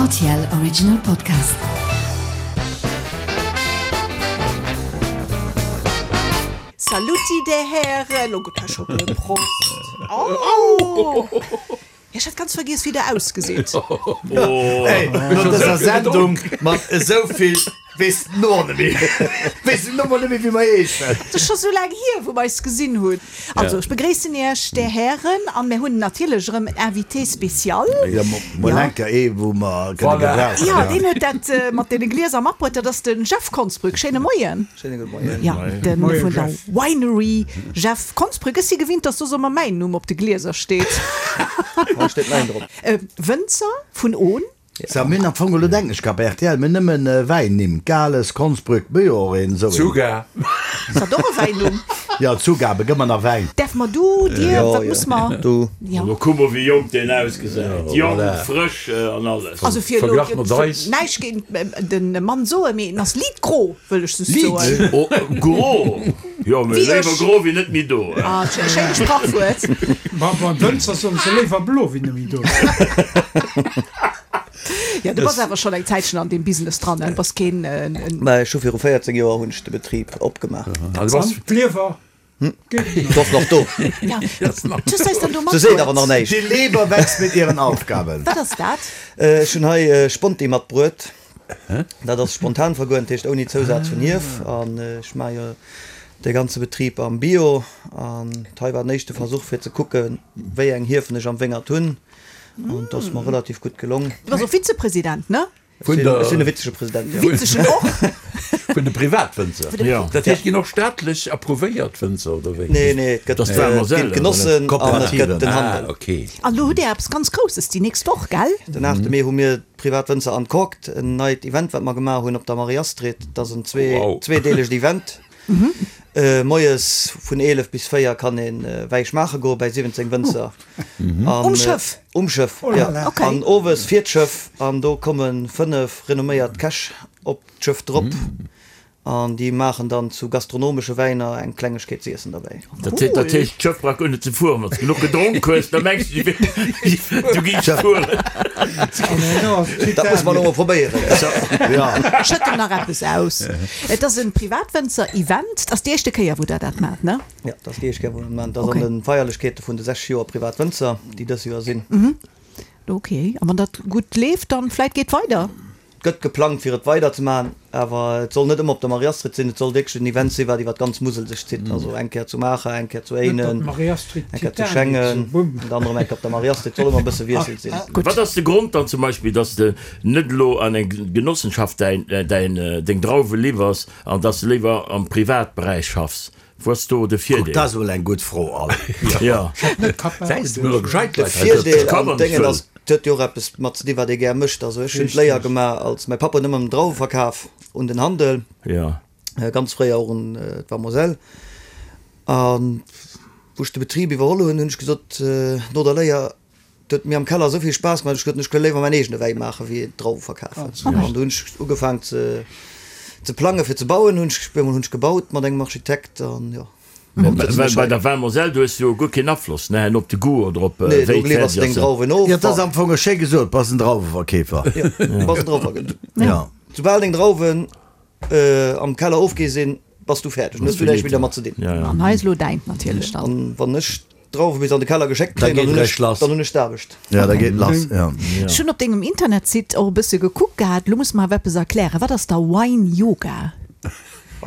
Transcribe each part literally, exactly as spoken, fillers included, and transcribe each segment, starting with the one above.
R T L Original Podcast. Saluti der Hären, oh Gott, hei scho e Prost. Oh! Ech hat ganz vergiess wéi der ausgeseet. Hey, no dëser Sendung mat esou vill weess den och net méi, weess den och net méi wéi mer heeschen. Et ass scho sou laang hier wou mer eis gesinn hunn. Also ech begréissen iech där Hären an mir hunn natierlech erëm en Invité spécial. Jo, mol enker ee wou mer kënne gebrauchen. Jo, deen huet dat mat deene Glieser matbruet, dat ass de Jeff Konsbrück. Schéine Moien. Schéine gudde Moien. Jo, de vun der Winery Jeff Konsbrück. Ech si gewinnt, dass soss ëmmer mäin Numm op de Glieser steet. Hei steet mäin drop. Wënzer vun Ohn. Sa, mir hunn am Fong, elo denken ech grad bei R T L, mir hunn nëmmen Wäinnimm, Gales, Konsbrück, mir hu jo och een esou een. Zuga. Ass dat och e Wäinnumm? Jo, Zugabe, gëtt mer nach Wäin. Däerfe mer du, dir, Jo, wat jo, muss mer? du. Jo. Elo kuck mol wéi jonk deen ausgesäit, jonk, frësch an alles. Also fir elo Verglach mat eis. näischt géint de Mann soen, mee en ass liit gro, wëll ech just soen. Liit oh, gro? Jo, mee Wéi léiwer ech. gro wéi net méi do. Ah, schéint Sprachwuert. Ma beim Wënzer soen se léiwer blo wéi net méi do. Ja, du bass awer schonn eng Zäitchen an deem Business dran, ne? Du bass keen. Mä ech hu viru véierzéng Joer hunn ech de Betrib opgemaach. Ah, du bass. An d'Liewer geet Ass nach do. Ja, du hues eis dann do Se seet awer matbruet. nach näischt. Die Leber wächst mit ihren Aufgaben. Wat ass dat? Ech hunn hei Sponti matbruet. Dat ass spontan vergoren, dat heescht ouni Zousaz vun Hief. An ech maache jo de ganze Betrib am Bio. An hei war den éischte Versuch fir ze kucken, wéi eng Hiefen ech am Wéngert hunn. An et ass mer relativ gutt gelong. Du bass och Vizepresident, ne? Vun Ech der. sinn e witzege President, jo. Witzegen och. Vun de Privatwënzer. Jo. Dat heescht, ginn och staatlech approuvéiert Wënzer, oder wéi? Nee, nee, et gëtt Dat ass d'Val et Moselle, ginn d'Genossen an et gëtt den Ah, Handel. okay. An lo hutt Dir eppes ganz Grousses déi nächst Woch, gell? Den aachte Mee hu mir d'Privatwënzer Uncorked, en neit Event, wat mer gemaach hunn op der Marie-Astrid. Dat ass en zwee, Wow. zweedeelegt Event. Moies vun eelef bis véier kann een Wäi schmaache goe bäi siwwenzéng Wënzer. An, Um Schëff? Um Schëff, Oh là ja. là. Okay. An owes fiert d'Schëff an do komme fënnef renomméiert Käch op d'Schëff drop. An déi maachen dann zu gastronomesche Wäiner eng Klengegkeet ze iessen derbäi. Dat heescht, dat heescht, d'Schëff brauch guer net ze fueren. Wann s de genuch gedronk hues, da mengs du, du géifs fueren. An herno ass Dat muss mer elo Titanic. mol probéieren. Ja. Schëtt em nach eppes aus. Et ass en Privatwënzer-Event. Et ass déi éischte Kéier, wou Der dat maacht, ne? Ja, dat ass déi éischt Kéier, wou mer dat maachen. Dat ass Okay. an de Feierlechkeete vun de sechzeg Joer Privatwënzer, déi dës Joer sinn. Ok. A wann dat gutt leeft, dann vläit geet weider? Et gëtt geplangt fir et weider ze maachen, awer et soll net ëmmer op der Marie-Astrid sinn, et soll wierklech en Event sinn, wat iwwer d'ganz Musel sech zitt. Also eng Kéier zu Maacher, eng Kéier zu Éinen, eng Kéier zu Schengen an dann erëm eng Kéier op der Marie-Astrid. Et soll ëmmer e bësse Wiessel sinn. Wat ass de Grond dann zum Beispill, dass de net elo an eng Genossenschaft däin, däin, deng Drauwe liwwers an dass de léiwer am Privatberäich schaffs? Wou ass do de Kuck, Virdeel? dat ass emol eng gutt Fro, Al. Ja. De Virdeel an Déngen ass, et huet jo och eppes mat ze dinn, wat ee gär mécht. Also ech hunn d'Léier gemaach als, mäi Papp huet ëmmer Drauwe verkaf un den Handel, Ja. ganz fréier och un d'Val-Moselle. An wou ech de Betrib iwwerholl hunn, hunn ech gesot, no der Léier, Et huet mir am Keller esou vill Spaass gemaach, ech gesot, ech wëll léiwer mäin eegene Wäi maachen, wéi Drauwe verkafen. An du hunn ech ugefaangen ze ze plangen, fir ze bauen. Hunn ech, bemol hunn ech gebaut mat engem Architekt an jo. Mä bei der Vin Moselle, du hues jo guer keen Afloss, ne, op de Goût oder op Nee, wéi do liwwers de deng et fäerdeg ass. Drauwen of. Jo, et ass am Fong schéi gesot, bass en Drauweverkeefer. Jo, bass en Drauweverkeefer. Ja. Soubal deng Drauwen am Keller ofgi sinn, bass du fäerdeg, dann hues du näischt méi dermat ze dinn. An hei ass elo däint natierlech dann. An wann ech d'Drauwe bis an de Keller geschéckt Da kréien, dann geet hunn ech, réischt lass. dann hunn ech d'Aarbecht. Ja, da geet lass, ja. Ech hunn op dengem Internetsite och e bësse gekuckt gehat. Lo muss mer awer eppes erklären. Wat ass da Wine Yoga?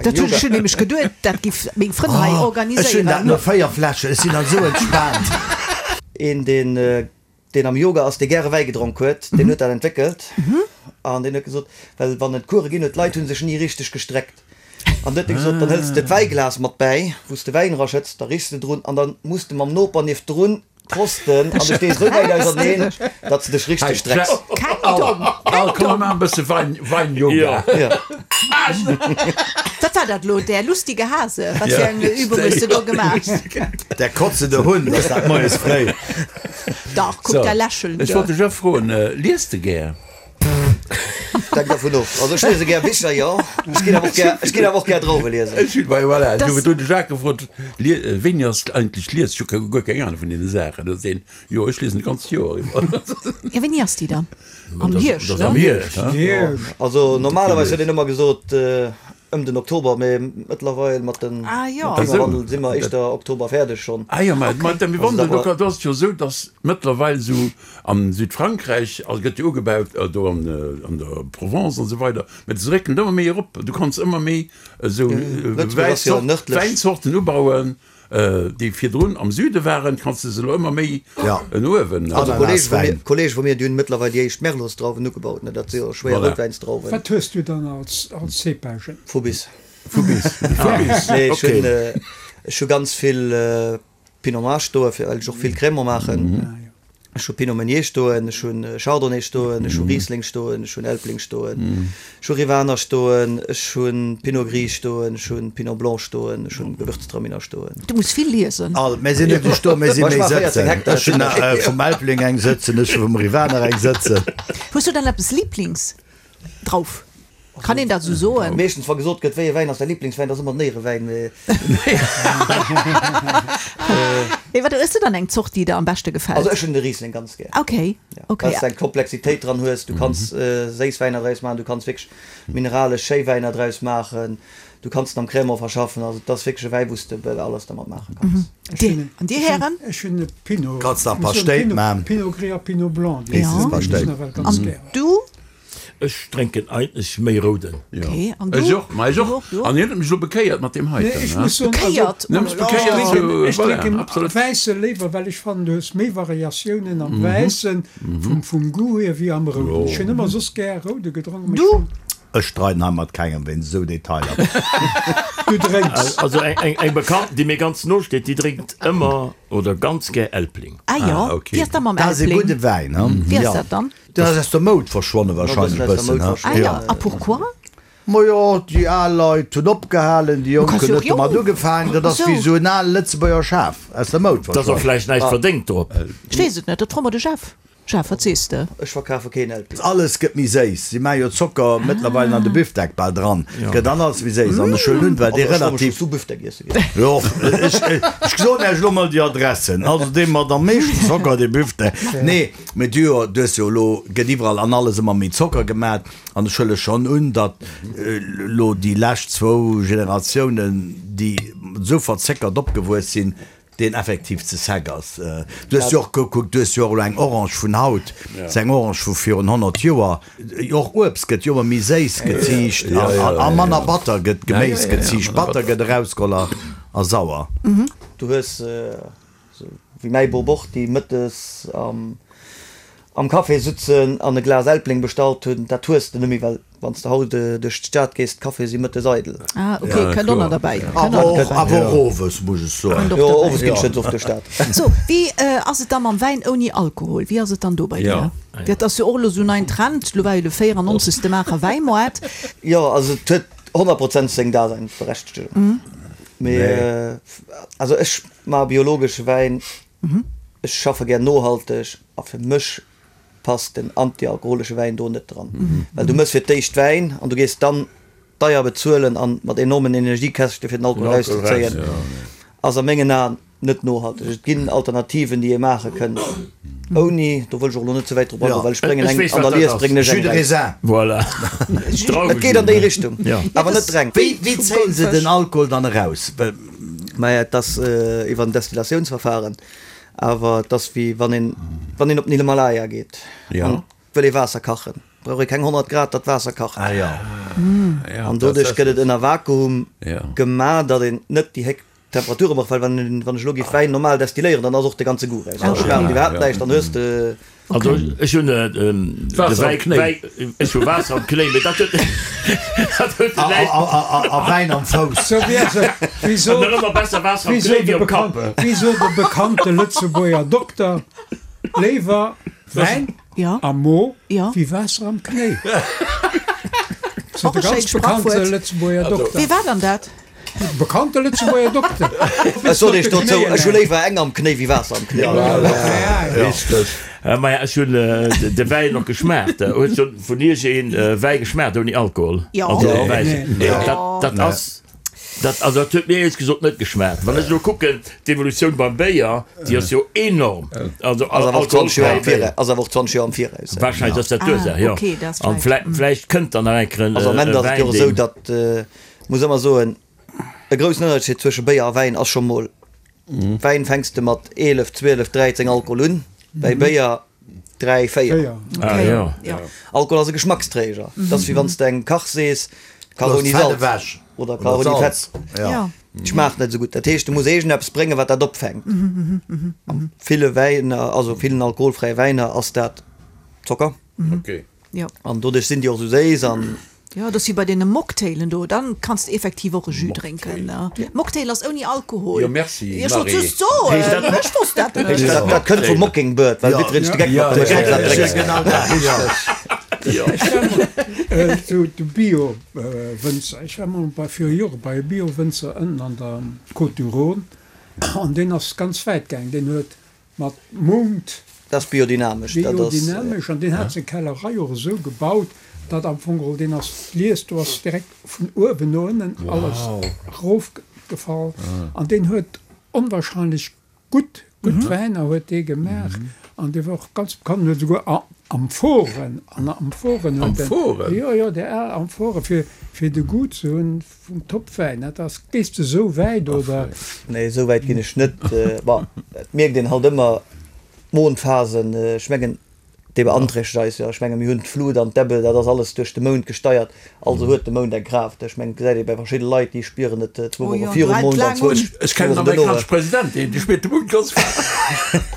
Dat hunn ech hunn nämlech geduet, dat giff meng Frënn hei Ech hunn dat organiséieren. no véier Fläschen, ech sinn dann esou entspaant. Een, deen, deen am Yoga ass, dee gäre Wäi gedronk huet, deen huet dat entwéckelt. An deen huet gesot, well wann et Coure ginn huet, d'Leit hu sech ni richteg gestreckt. An du huet e gesot, dann hëls de d'Wäiglas mat bäi, wou s de Wäin eraschëtts, da richs de drun an da muss de mam Noper nieft drun prosten an du stees esou wäit auserneen, datt s de dech richteg strecks. Keng domm, Al, keng komm, domm. mir maachen e bësse Wein, Wein-Yoga. Ja. Wat war dat elo, der lustige Hase? Wat fir eng Übung hues de do gemaach? Der kotzende Hund, ass dat moies fréi. Dach, kuck, So, der lächelt. Ech wollt dech och froen, liest de gär? Hänkt dervun of. Also ech liese gär Bicher, jo. Ech ginn awer och gär, ech ginn awer och gär Drauwe liesen. Ech hunn, voilà, ech Das- hu virdu de Jacques gefrot, lie, wéini ass eigentlech lies? Ech hu ke- guer keng Ahnung vun deene Saachen. Da seet en, jo, ech liesen d'ganzt Joer iwwer. Ja, wéini ass déi dann? Am Hierscht, Das ne? Am Hierscht, he? Hierscht. Also normalerweis huet een ëmmer gesot ëm den Oktober, mee mëttlerweil mat den Ah, jo. mam Klimawandel si mer éischter Oktober fäerdeg schonn. Ah jo, mä mat dem Also Wandel, dat do war- kann, do ass et jo esou, datt mëttlerweil esou am Südfrankräich, also gëtt jo ugebaut, do an, an der Provence an esou weider, mä se réckelen ëmmer méi erop. Du kanns ëmmer méi esou Lëtzebuerg ass jo Wäinzort, nërdlech. Wäinzorten ubauen, déi virdrun am Süde waren, kanns de se elo ëmmer méi Ja. en uewen. Also Ananas Kollege vu mir, Wäin. Kollege vu mir, déi hunn mëttlerweil déi éischt Merlotsdrauwen ugebaut, ne, dat si jo schwéier Voilà. Routwäinsdrauwen. Wat hues du dann als, als Cépagen? Fubis. Fubis. Fubis. Nee, ech Okay. hunn, ech hu ganz vill Pinot Noir stoe, fir well ech och vill Crémant maachen. Ah, jo. Ech hu Pinot Meunier stoen, ech hunn Chardonnay stoen, ech hu Riesling stoen, ech hunn Elbling stoen, ech hu Rivaner stoen, ech hunn Pinot Gris stoen, ech hunn Pinot Blanc stoen, ech hunn Gewürztraminer stoen. Du muss vill liesen. All, mir sinn net esou stoen, mir sinn Ma ech méi maache vierzéng sëtzen. Hektar. Ech hunn äh, vum Elbling eng sëtzen, ech hu vum Rivaner eng sëtzen. Hues du dann eppes Lieblings drauf? Kann een dat esou soen? Meeschtens, wa gesot gëtt, wéi e Wäin ass däi Lieblingswäin, dat ass ëmmer den Éierewäin, mee. Nee, wat hues du dann eng Zort, déi der am beschte gefält? Also ech hunn de Riesling ganz gär. Okay, Ja. okay. Well s de eng Komplexitéit dran hues, du kanns séiss Wäiner draus maachen, du kanns wierklech mineralesch schéi Wäiner draus maachen, du kanns en am Crémant verschaffen, also et ass wierklech e Wäi, wou s de bal alles dermat maache kanns. Dir, an dir Hären? Ech hunn e Pinot. Kanns nach Ech muss soen, Pastéit Pinot, maachen. Pinot Gris a Pinot Blanc, déi Ja. sinn Pastéit. nawell ganz An gär. du? Ech drénken eigentlech méi Rouden. Ja. Okay, an du? Ech och, ma ech och. Du och, du och? An hien huet mech elo bekéiert mat deem Nee, heiten, ech ne? muss soen, also, Bekéiert? Ne, mech Oh là là. bekéiert, Ech drénken, so, ech voilà, drénken absolut. Wäisse léiwer, well ech fannen, du hues méi Variatiounen am Wäissen vum, vum Goût hier wéi am Rouden. Ech hunn ëmmer soss gär Roude gedronken, mee Du? ech fann, Ech streiden hei mat kengem wéinst esou Detailer. du drénks. Also eng, eng, eng Bekannten, déi mir ganz no steet, déi drénkt ëmmer oder ganz gär Elbling. Ah jo, Ah, okay. wéi ass dat mam Dat ass e Elbling? gudde Wäin, hm? Wéi ass Ja. dat dann? Dat ass aus der Moud verschwonne wahrscheinlech e E bëssen bëssen, aus der Moud hm? Ah jo, Ja. a pourquoi? Ma jo, déi al Leit hunn opgehalen, déi Jonk kanns hunn jo net och domat jong. ugefaangen. Dat ass Ach wéi sou. esou en ale Lëtzebuerger Schaf aus der Moud Dat ass och verschwonnen. vläicht näischt verdéngt drop. Ech weess et net, dat froe mer de Jeff. Jeff, wat sees de? Ech verkafe keen Elbling. Alles gëtt méi séiss. Si maache jo Zocker mëttlerweil an de Büfdeck bal dran. Gëtt dann alles méi séiss. An ech huelen un, well dee Also ech soll mech relativ. zu Büfdeck iesse ginn. Jo, ech, ech soen Iech elo mol déi Adressen. Also dee mat am meeschten Zocker, dee Büfdeck. Nee, mee du jo, du hues jo elo, gëtt iwwerall an alles ëmmer méi Zocker gemat. An ech huele schonn un, datt elo déi lescht zwou Generatiounen, déi esou verzéckert opgewuess sinn, deen effektiv ze sec ass. Du hues jo och gekuckt, du hues jo och elo eng Orange vun haut, ass eng Orange vu virun honnert Joer. Och Uebst gëtt jo ëmmer méi séiss geziicht a manner batter gëtt Geméis geziicht. Batter gëtt erausgeholl a a sauer. Du hues esou wéi mäi Bop och, déi mëttes am am Café sutzen an e Glas Elbling bestallt hunn, dat hues de net méi, well wann s de haut duerch d'Stad gees, d'Caféë si mëttes eidel. Ah, ok, kënnt och nach derbäi. Awer och, awer och owes, muss ech soen. Jo, owes ginn ech net oft duerch d'Stad. So, wéi ass et da mam Wäin ouni Alkohol? Wéi ass et dann do bei dir? Dat ass jo och elo sou en neien Trend, elo war jo de véierannonzegste Maacher Wäimoart. Jo, also et huet honnert Prozent seng Daseinsberechtegung. Mee also ech maache biologesche Wäin, ech schaffe gär nohalteg a fir mech passt den antialkoholesche Wäin do net dran. Well du mëss fir d'éischt Wäin an du gees dann deier bezuelen an mat enormen Energiekäschte fir den Alkohol erauszezéien, ass a mengen Aen net nohalteg. Et ginn Alternativen, déi ee maache kënnt ouni, do wëll ech och elo net ze wäit drop agoen, well ech bréngen eng an der Lies bréngen ech eng Jus de räi. raisin. Voilà. Et geet an déi Richtung, awer net reng. Wéi, wéi zéien se den Alkohol dann eraus? Well. Maja, et ass iwwer en Destillatiounsverfahren, awer et ass wéi wann een, wann een op den Himalaya geet an wëll ee Waasser kachen, brauch ee keng honnert Grad, datt d'Waasser kacht. Ah jo. An doduerch gëtt et ënner Vakuum gemaach, datt een net déi héich Temperature brauch, well wann een, wann ech elo géif Wäin normal destilléieren, dann ass och de ganze Goût raus. Dann schmaacht iwwerhaapt näischt, dann hues de. Also ech hunn de Wäi, Wäi, ech hu Waasser am Knéi, mee dat huet, dat huet näischt. A Wäin am Fouss. Sou wéi se, wéi sot, Nach ëmmer besser Waasser am wéi Knéi sot wéi de am bekan, Kapp. wéi sot de bekannte Lëtzebuerger Dokter, léiwer Wäin am Mo wéi Waasser am Knéi. Sot Och de e ganz schéint bekannte Sprachwuert. Lëtzebuerger Dokter. Wee war dann dat? Bekannte Lëtzebuerger Dokter. Ech sot iech dozou, ech hu léiwer eng am Knéi wéi Waasser am Knéi. Richteg. Maja, ech hunn de Wäin och geschmaacht. Huet schonn vun Iech een Wäi geschmaacht ouni Alkohol? Jo. Also Wäin. Dat, dat ass, dat, also dat huet mir éierlech gesot net geschmaacht. Wann ech elo kucken, d'Evolutioun beim Béier, déi ass jo enorm. Also Ass awer och zwanzeg Joer am alkoholfräi Béier. Viraus, ass awer och zwanzeg Joer am Viraus. Wahrscheinlech ass dat d'Ursaach, jo. Ah, okay, dat ass An vläicht. vläicht, vläicht kënnt dann nach eng Kéier en Also am Ende ass et Wäin, jo och esou, deen. datt, muss ëmmer soen, e groussen Ënnerscheed zwësche Béier a Wäin ass scho mol, Wäin fänks de mat eelef, zwielef, dräizéng Alkohol un, bäi Béier dräi, véier. Ah jo. Alkohol ass e Geschmacksträger. Dat ass wéi wann s de engem Kach sees, kach ouni Salz oder kach ouni Fett. Et schmaacht net esou gutt. Dat heescht, du muss iergendeppes bréngen, wat dat opfänkt. A ville Wäiner, also villen alkoholfräie Wäiner ass dat Zocker. An doduerch sinn déi och esou séiss an. Jo, dat ass wéi bei deene Mocktailen do, dann kanns de effektiv och e Jus drénken. Mocktail ass ouni Alkohol. Jo, merci, Ech wollt Marie. just soen, ech wosst dat net. Dat, dat kënnt vum Mockingbird, well jiddwereen sech de Geck mat dem Schnaps drénkt. Genau dat, jo. Ech war mol zu de Bio-Wënzer, ech war mol bei, viru Jore bei e Bio-Wënzer ënnen an der Côte du Rhône an deen ass ganz wäit gaang, deen huet mat Mond. Dat ass biodynamesch. Dat ass. Biodynamesch. An deen hat seng Kellerei och esou gebaut, datt am Fong geholl deen ass, d'Lies do ass direkt vun uewen no ënnen alles erofgefall. An deen huet onwahrscheinlech gutt, gutt Wäiner huet dee gemaach. An dee war och ganz bekannt, huet esouguer Amphoren, an Amphoren huet en. Amphoren? Jo, jo, déi al Amphoren, fir, fir de Goût ze hunn vum Topwäin. Dat ass, gees de esou wäit, oder? Nee, esou wäit ginn ech net. Bon, et mierkt een halt ëmmer d'Mondphasen. Ech mengen, déi beanträchtegt eis jo. Ech menge mir hunn d'Flut an d'Ebbe, dat ass alles duerch de Mound gesteiert. Also huet de Mound eng Kraaft. Ech mengen, et gesäit ee bei verschidde Leit, déi spieren et zwou Woche virum Mound an zwou Wochen Ech kennen en duerno. amerikanesche President, deen dee spiert de Mound ganz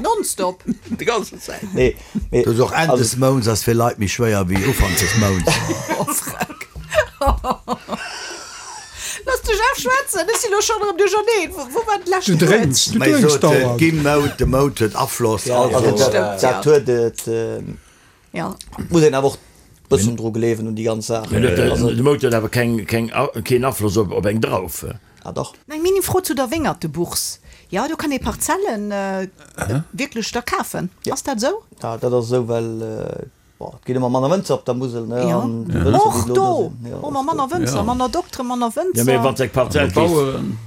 Nonstop. Déi ganze Zäit. Nee, mee Dat ass och Enn des Mounds ass fir Leit méi schwéier wéi Ufank des Mounds. Oh, Freck. Looss de Jeff schwätzen, ech sinn elo schonn erëm duercherneen. Wou war de leschte Du drénks, Wuert? du Mee drénks sot, et dauernd. gi Mound, de Mound huet Afloss, Ja, also also. dat, Stimmt, dat ja. huet et. Ja. Muss een awer och bëssen dru gleewen un déi ganz Saach. Mee de Also, de Mound huet awer keng, keng, keen Afloss op, op eng Drauf. ah dach. Eng Mini-Fro zu der Wéngertebourse. Jo, do kann ee Parzellen wierklech da kafen. Ass dat esou? Ja, dat ass esou, well Bon, et ginn ëmmer manner Wënzer op der Musel, ne? Jo. An déi Wënzer, déi Och elo do do sinn, jo, hu mer och manner do. Wënzer, manner Dokteren, manner Jo, mee wann Wënzer. s eng Parzell Manner keefs, Baueren.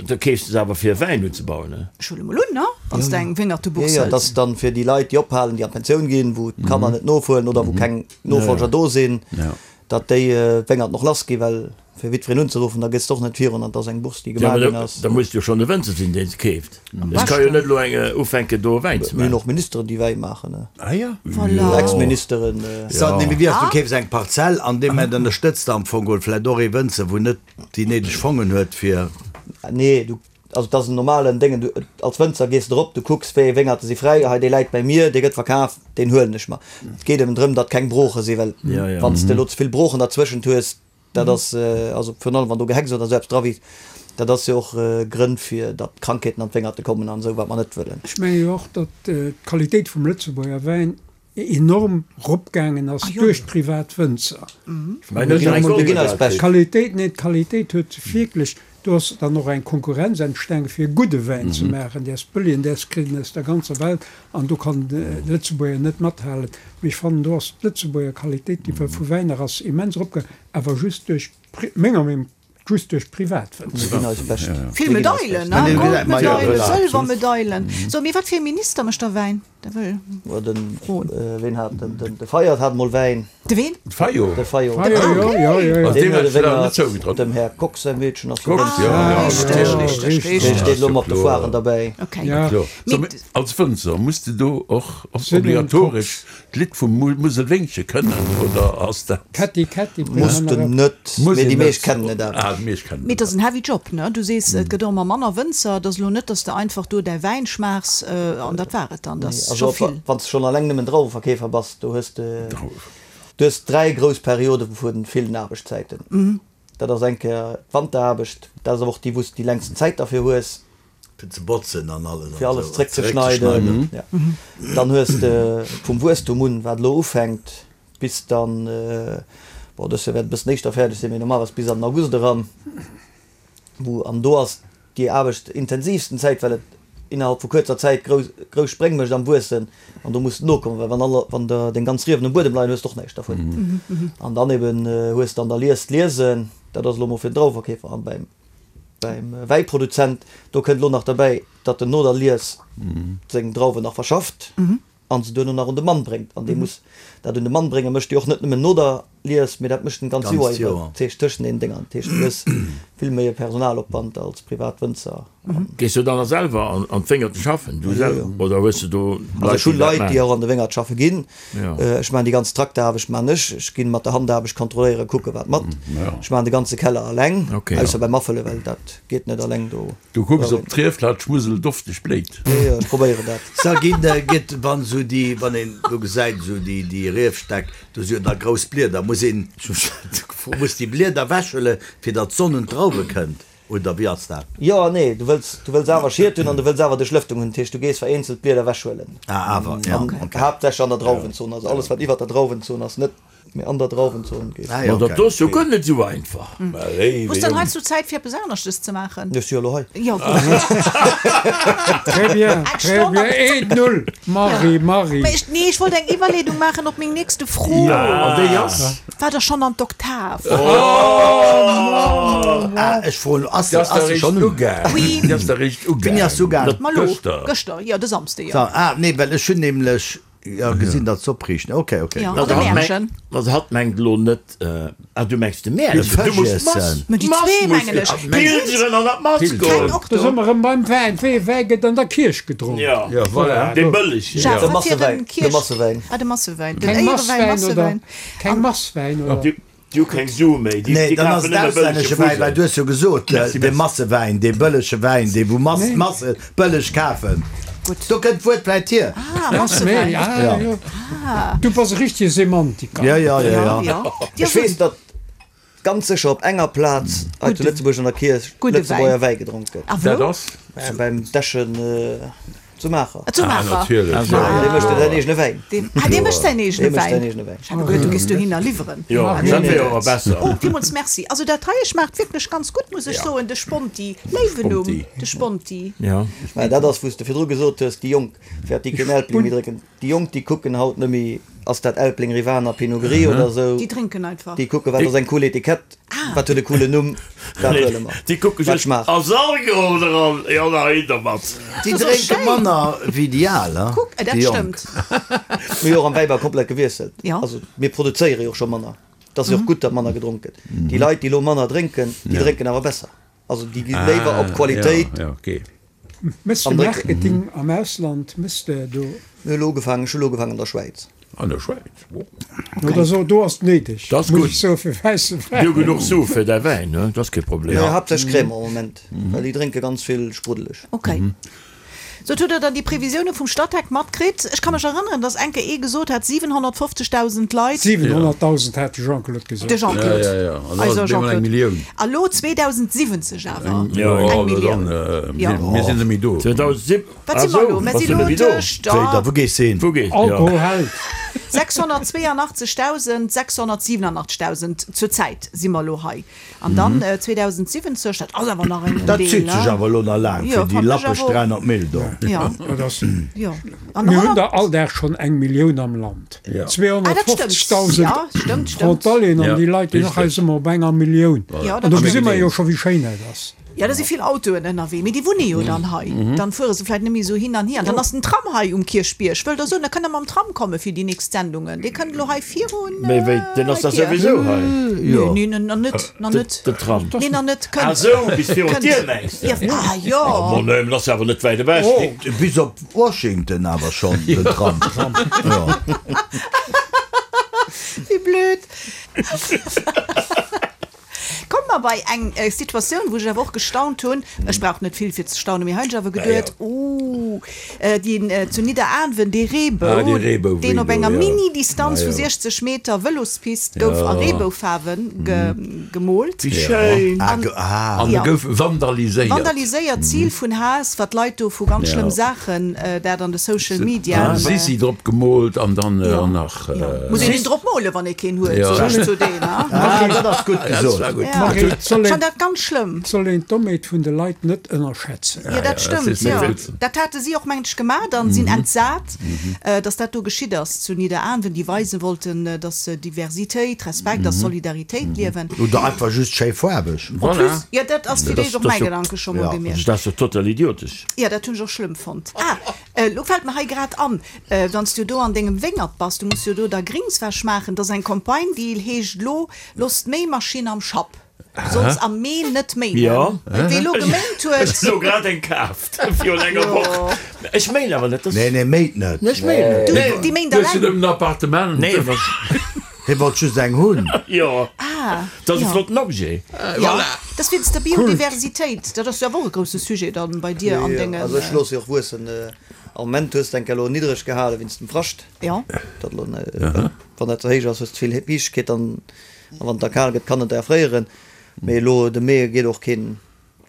da keefs de se awer fir Wäin unzebauen, ne? Ech huele mol un, ne? Wann s de eng Jo, Wéngertebourse jo, dat hëls. ass dann fir déi Leit, déi ophalen, déi an d'Pensioun ginn, wou d'Kanner net nofueren oder wou keng Nofolger do sinn, datt déi Wéngert och lass ginn, well fir jiddwereen unzeruffen, da gëss de och net virun an et ass eng Bourse, déi Ja, gemaach mä ginn da, ass. da muss jo schonn e Wënzer sinn, deen se keeft. Et ka jo net elo eng ufänken, do Wäin ze Mir hunn maachen. och Ministeren, déi Wäi maachen, ne? Ah ja. Voilà. Ex-Ministeren. So, nee, mee wéi ass, du keefs eng Parzell an deem Moment ënnerstëtz de am Fong geholl vläicht och ee Wënzer, wou net déi néideg Fongen huet fir. Nee, du, also et ass en normalen Déngen, du, als Wënzer gees de erop, du kucks, wéi ee Wéngerte si fräi, hei dee läit bei mir, dee gëtt verkaf, deen huelen ech mer. Et geet eben drëm, datt keng Brooche sinn, well Ja, ja. wann s de elo ze vill Broochen derzwëschent hues, Dat ass, also virun allem wann do Gehecks oder esou eppes dra wiisst, dat ass jo och Grënn fir datt Krankheeten an d'Wéngerte kommen an esou, wat mer net wëllen. Ech menge jo och, datt d'Qualitéit vum Lëtzebuerger Wäin enorm eropgaangen ass duerch d'privat Wënzer. D'Qualitéit, nee, d'Qualitéit huet wierklech, do ass dann och eng Konkurrenz entstaangen, fir e gudde Wäin ze maachen. Däers Bëllien, däers kritt en aus der ganzer Welt an do kann de Lëtzebuerger net mathalen. Mee ech fannen, do ass d'Lëtzebuerger Qualitéit, déi vu Wäiner ass, immens eropgaangen, awer just duerch, menger Meenung, just duerch Privatwënzer. Vill Medailen, ne? Goldmedailen, Sëlwermedailen. So, mee wat fir e Minister mécht da Wäin? Da wëll Den, froen. ween hat den, den, de Fayot hat mol Wäin. De ween? De Fayot. De Fayot. Fayot, jo, jo, jo, jo. Also Deen deem huet hat e ech leider net Wéngert. zougetraut. Dem Här Kox säi Meedchen ass jo Kox, Wënzer. jo, Ah, jo, richteg, natierlech. richteg, Dee richteg. steet elo mat de Foiren derbäi. Okay. Ja. Klar. So, Mee mee als Wënzer muss de do och Sinn en obligatoresch Kox. d'Lidd vum Muselwéngche kënnen, oder ass dat? Kätti, Kätti, bréng Muss mer de nach ep. net, Muss mee een déi meescht net. kennen et awer. Ah, déi meescht kennen Mee et et ass en heavy Job, ne? Du sees, et gëtt och ëmmer manner Wënzer. Et ass elo net, dass de einfach do däi Wäin schmaachs an dat war et dann. Dat ass Also scho op, vill. wann s de schonn alleng nëmmen Drauweverkeefer bass, do hues de, du hues dräi grouss Periode vu villen Aarbechtszäiten. Dat ass eng Kéier d'Wanteraarbecht, dat ass awer och déi, wou s de déi längsten Zäit derfir hues. Fir ze botzen an alles. Fir alles zréckzeschneiden. Ja. Dann hues de vum Wuesstum un, wat elo ufänkt, bis dann, bon, dëst Joer wäert e bëssen éischter fäerdeg sinn, mee normalerweis bis an den August eran, wou, an do ass déi aarbechtintensivsten Zäit, well et innerhalb vu kuerzer Zäit grouss, grouss Spréng mécht am Wuessen an do muss de nokommen, well wann alle, wann der deng ganz Riewen um Buedem leien, hues de och näischt dervun. An dann eben hues de an der Lies d'Liesen, dat ass elo mol fir den Drauweverkeefer an beim, beim Wäiproduzent, do kënnt elo nach derbäi, datt en no der Lies seng Drauwen nach verschafft an se duerno nach un de Mann bréngt. An dee muss dat un de Mann bréngen, mécht e och net nëmmen no der Lies, mee dat mécht en d'ganz Joer iwwer, dat heescht tëschent den Dénger. Dat heescht, du hues vill méi e Personalopwand als Privatwënzer. Gees du dann nach selwer an an d'Wéngerten schaffen, du selwer, oder hues du do Also Leit, ech hunn déi dat Leit, déi maachen? och an de Wéngert schaffe ginn. Jo. Ech maachen déi ganz Trakteraarbecht maachen ech. Ech ginn mat der Handaarbecht kontrolléieren, kucke wat mat. Ech maachen de ganze Keller eleng, ausser beim Afëlle, well dat geet net eleng do. Du kucks op d'Rief, dat d'Schmusel dofteg bléit. Jo, jo, ech probéieren dat. Sa ginn, gëtt, wann esou déi, wann een do gesäit esou déi, déi Riefstäck, do si jo da grouss Blieder, muss een, muss déi Blieder ewechhuele fir datt d'Sonn un d'Drauwe kënnt, oder wéi ass dat? Jo an nee, du wëlls, du wëlls awer Schiet hunn an du wëlls awer Duerchlëftung hunn, dat heescht du gees vereenzelt d'Blieder ewechhuelen. Ah, awer, ja, An okay. haaptsächlech an der Drauwenzon, also alles wat iwwert der Drauwenzon ass net. Mee an der Drauwenzon geet. Ah, ja, Ma dat okay. do ass jo guer net esou einfach. Hues dann heiansdo Zäit fir eppes aneschtes ze maachen? Ech si jo elo hei. Jo, gutt. Très bien, Eng très Stonn bien. an. Eent, null. Marie, Marie. Mä ech, nee, ech wollt eng Iwwerleedung maachen op meng nächste Fro. An déi ass? War der schonn an d'Oktav? Ah, ech froen, ass Déi ass ass der se réischt schonn un? ugaang. Oui. Déi ass der réischt Wéini ass se ugaang. ugaang? Ma lo, Gëschter. gëschter, jo, de Samsde, jo. So, ah, nee, well ech hunn nämlech Jo, gesinn dat s'opriichten. Ok, ok. Ja, Also an de hatt Mäerchen. mengt, also hatt mengt elo net, ah du mengs de Mäerchen, du muss d'Mass, Mä déi d'Mass zwee muss mengen ech. Pilgeren an der Mass Keng goen. och Da do. si mer erëm beim Wäin. Wéi ee Wäi gëtt an der Kierch gedronk? Ja, Ja, voilà. dee bëllegen. Jacques, De wat fir Massewäin. en De Kierch. Massewäin. Ah, de Massewäin. Den Keng Éierewäin, Masswäin oder? Massewäin. Keng Masswäin oder? Déi hu keng Sue méi, déi Nee, déi dann ass kafen et nëmme bëllege auslännesche Wäin, well Fusel. du hues jo gesot, Merci, de merci. Massewäin, dee bëllege Wäin, dee wou Mass, Nee. Masse bëlleg kafen. Gutt. Do kënnt d'Wuert vläit hier. Ah, Méi, Massewäin. ah, Ja. jo. Du bass e richtege Semantiker. Ja, ja, ja, Ja, ja. ja. Ja, Ech weess, datt ganz sécher op enger Plaz hei zu Gudde- Lëtzebuerg an der Kierch gudde Lëtzebuerger Wäin. Wäi gedronk gëtt. A Dat wou? ass? Äh, Beim Dechen zu Maacher. Zu Ah, Maacher. natierlech. Ah, dee mécht jo säin eegene Wäin. Deen, ah, dee mécht säin eegene Dee mécht säin Wäin. eegene Wäin. Ech hat geduet, du géifs dohinner liwweren. Jo, Ah, dat nee, wär nee. awer besser. Oh, villmools merci. Also dat hei schmaacht wierklech ganz gutt, muss ech soen, de Sponti. Léiwen Numm, Sponti. de Sponti. Ja. Mä dat ass, wou s de virdru gesot hues, déi Jonk, fir déi keen Elbling méi drénken. Déi Jonk, déi kucken haut net méi, ass dat Elbling, Rivaner, Pinot Gris oder esou. Déi drénken einfach. Déi kucken, wat ass eng cool Etikett, wat huet e coolen Numm, dat huele mer. Déi kucke Wat just, schmaacht. ass Alkohol dran? Jo, da hin dermat. Déi Das ass drénke schéin. manner wéi déi Al, hein? Kuck, dat Déi Jonk. stëmmt. Mir hu jo och am Wäibau komplett gewiesselt. Ja. Also mir produzéiere jo och scho manner. Et ass jo och gutt, datt manner gedronk gëtt. Déi Leit, déi elo manner drénken, déi drénken awer besser. Also déi gi léiwer op Qualitéit. Ja, ja, okay. Méchs de Am Drécken. Marketing am Ausland? Méchs de do? Mir hu elo ugefaangen, ech hu elo ugefaangen an der Schwäiz. An der Schwäiz, wo? No, da so, do ass et néideg, Dat ass muss gutt. ech soen, fir wäisse Déi hu Wäin. genuch Sue fir däi Wäin, ne? Dat ass kee Problem. Jo, haaptsächlech Cremant am Moment, well déi drénke ganz vill spruddeleg. Okay. Sot, hutt Der dann déi Previsioune vum Statec matkritt? Ech ka mech erënneren, dass eng Kéier ee gesot hat, siwenhonnertfofzegdausend Leit. Siwenhonnertdausend hat de Jean-Claude gesot. De Jean-Claude. Ja, ja, ja. An da Eiser ass et bemol eng Jean-Claude. Millioun. A lo zweedausendsiwwenzeg awer. Jo, Eng dann, Millioun. äh, Ja. mir sinn net méi do. zweedausendsieb Wat si mer elo? Mer si elo tëscht, Wéi, da ah, wou gees de hin? Wou gees? Alkohol Ja. hält. sechshonnertzweeanachtzegdausend-sechshonnertsiewenachtzegdausend zur Zäit si mer elo hei. An dann zweedausendsiwwenzeg, dat ass awer nach en Dat Deel, zitt sech ne? awer elo nach laang Jo, fir déi fand ech lappeg awer och. dräihonnert Mille do. Ja, Dat ass, jo. An mir hunn honnert. der all Dag schonn eng Millioun am Land. Ja. Ah, dat stimmt. zweehonnertfofzegdausend Ja, stimmt, stimmt. Frontalieren an Ja, déi Leit, déi nach richtig. hei si mer op enger Millioun. Ja, An dat do gesi stimmt. mer jo scho wéi schéin dat ass. Ja, da si vill Autoen ënnerwee, mee déi wunne jo dann hei. Dann fuere se vläicht net méi esou hin an hier. An dann ass den Tram hei um Kierchbierg. Wëllt Der soen, da kënnt Der mam Tram komme fir déi nächst Sendungen. Dee kënnt elo hei virun Mee wéi, deen ass hei da d'Dier. souwisou hei. Jo. Nee, nee, nach net, nach net. De Tram. Nee, nach net. Kënnt. Ah sou, bis virun Kënnt. d'Dier mengs de? Ja, ah jo. Oh, nee, mee dat ass awer net wäit ewech. Bis op Washington awer schonn, den Tram. Jo. Wéi blöd. Komme mer bei eng Situatioun, wou ech awer och gestaunt hunn. Ech brauch net vill fir ze staunen, mee hei hunn ech awer geduet, oh, Deen zu Nidderaanwen, dee Reebou, deen op enger Mini-Distanz vu siechzeg Meter Vëlospist gouf a Reeboufaarwe gemoolt. Wéi schéin! An e gouf vandaliséiert. Vandaliséiert, Zil vun Haass, wat d'Leit do vu ganz schlëmm Saachen, dat an de Social Media. Sissi drop gemoolt an dann nach. Muss een een drop molen, wann ee keen huet, sot ech zu deem. Dat ass gutt gesot. Ech fannen dat ganz schlëmm. Et soll een d'Dommheet vun de Leit net ënnerschätzen. Jo, dat stëmmt, jo. Dat hate si och, mengen ech, gemaat an sinn entsat, dass dat do geschitt ass zu Nidderaanwen, déi weise wollten, dass se Diversitéit, Respekt a Solidaritéit liewen. Oder einfach just schéi faarweg. En plus, jo, dat ass fir d'éischt och mäi Gedanke scho mol gewiescht. Dat ass jo total idiotesch. Jo, dat hunn ech och schlëmm fonnt. Ah, elo fält mer hei grad an, wann s du do an dengem Wéngert bass, du muss jo do da Gringswäsch maachen, dat ass eng Campagne, déi heescht elo, Looss d'Méimaschinn am Schapp. Solls am Mee net méinen. Jo. Wee elo geméint huet. Ech hunn elo grad eng kaaft virun enger Woch. Ech méin awer net. Nee, nee, méint net. Ech méin net. Du, déi méint Du hues jo alleng. nëmmen en Appartement. Nee, awer. Hie wollt just eng hunn. Jo. Ah. Dat ass e flotten Objet. Jo. Dat ass wéinst der Biodiversitéit. Dat ass jo awer och e grousse Sujet dann bei dir an dengen. Also ech loosse jo och wuessen. Am Moment hues de enk elo niddreg gehale wéinst dem Frascht. Jo. Dat elo, wann dat ze héich ass, hues de vill Fiichtegkeet dann. A wann et da kal gëtt, kann et erfréieren. Mee elo de Mee geet och keen,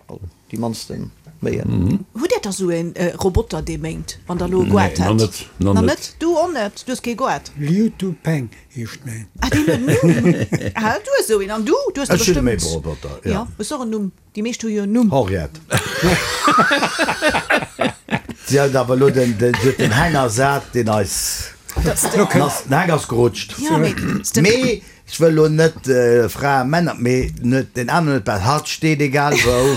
also déi mannste méien. Hutt Dir da sou e Roboter, dee méint, wann Der elo e Goart hätt? Nee, nach net. Nach net? Du och net? Du hues kee Goart? Liu Tu Peng heescht mäin. Ah, deen huet en Numm. Ah, du hues esou een. An du? Du hues der Ech hunn e bestëmmt. Méiroboter, jo. Jo, hues och en Numm. Déi meescht hu jo en Numm. Henriette. Si huet awer elo den, den, si huet den Heng ersat, deen eis, den ass, den Heng ass gerutscht. Jo, mee Mee ech wëll elo net Fraen, Männer, mee net deen aneren huet bal, hatt steet egal wou.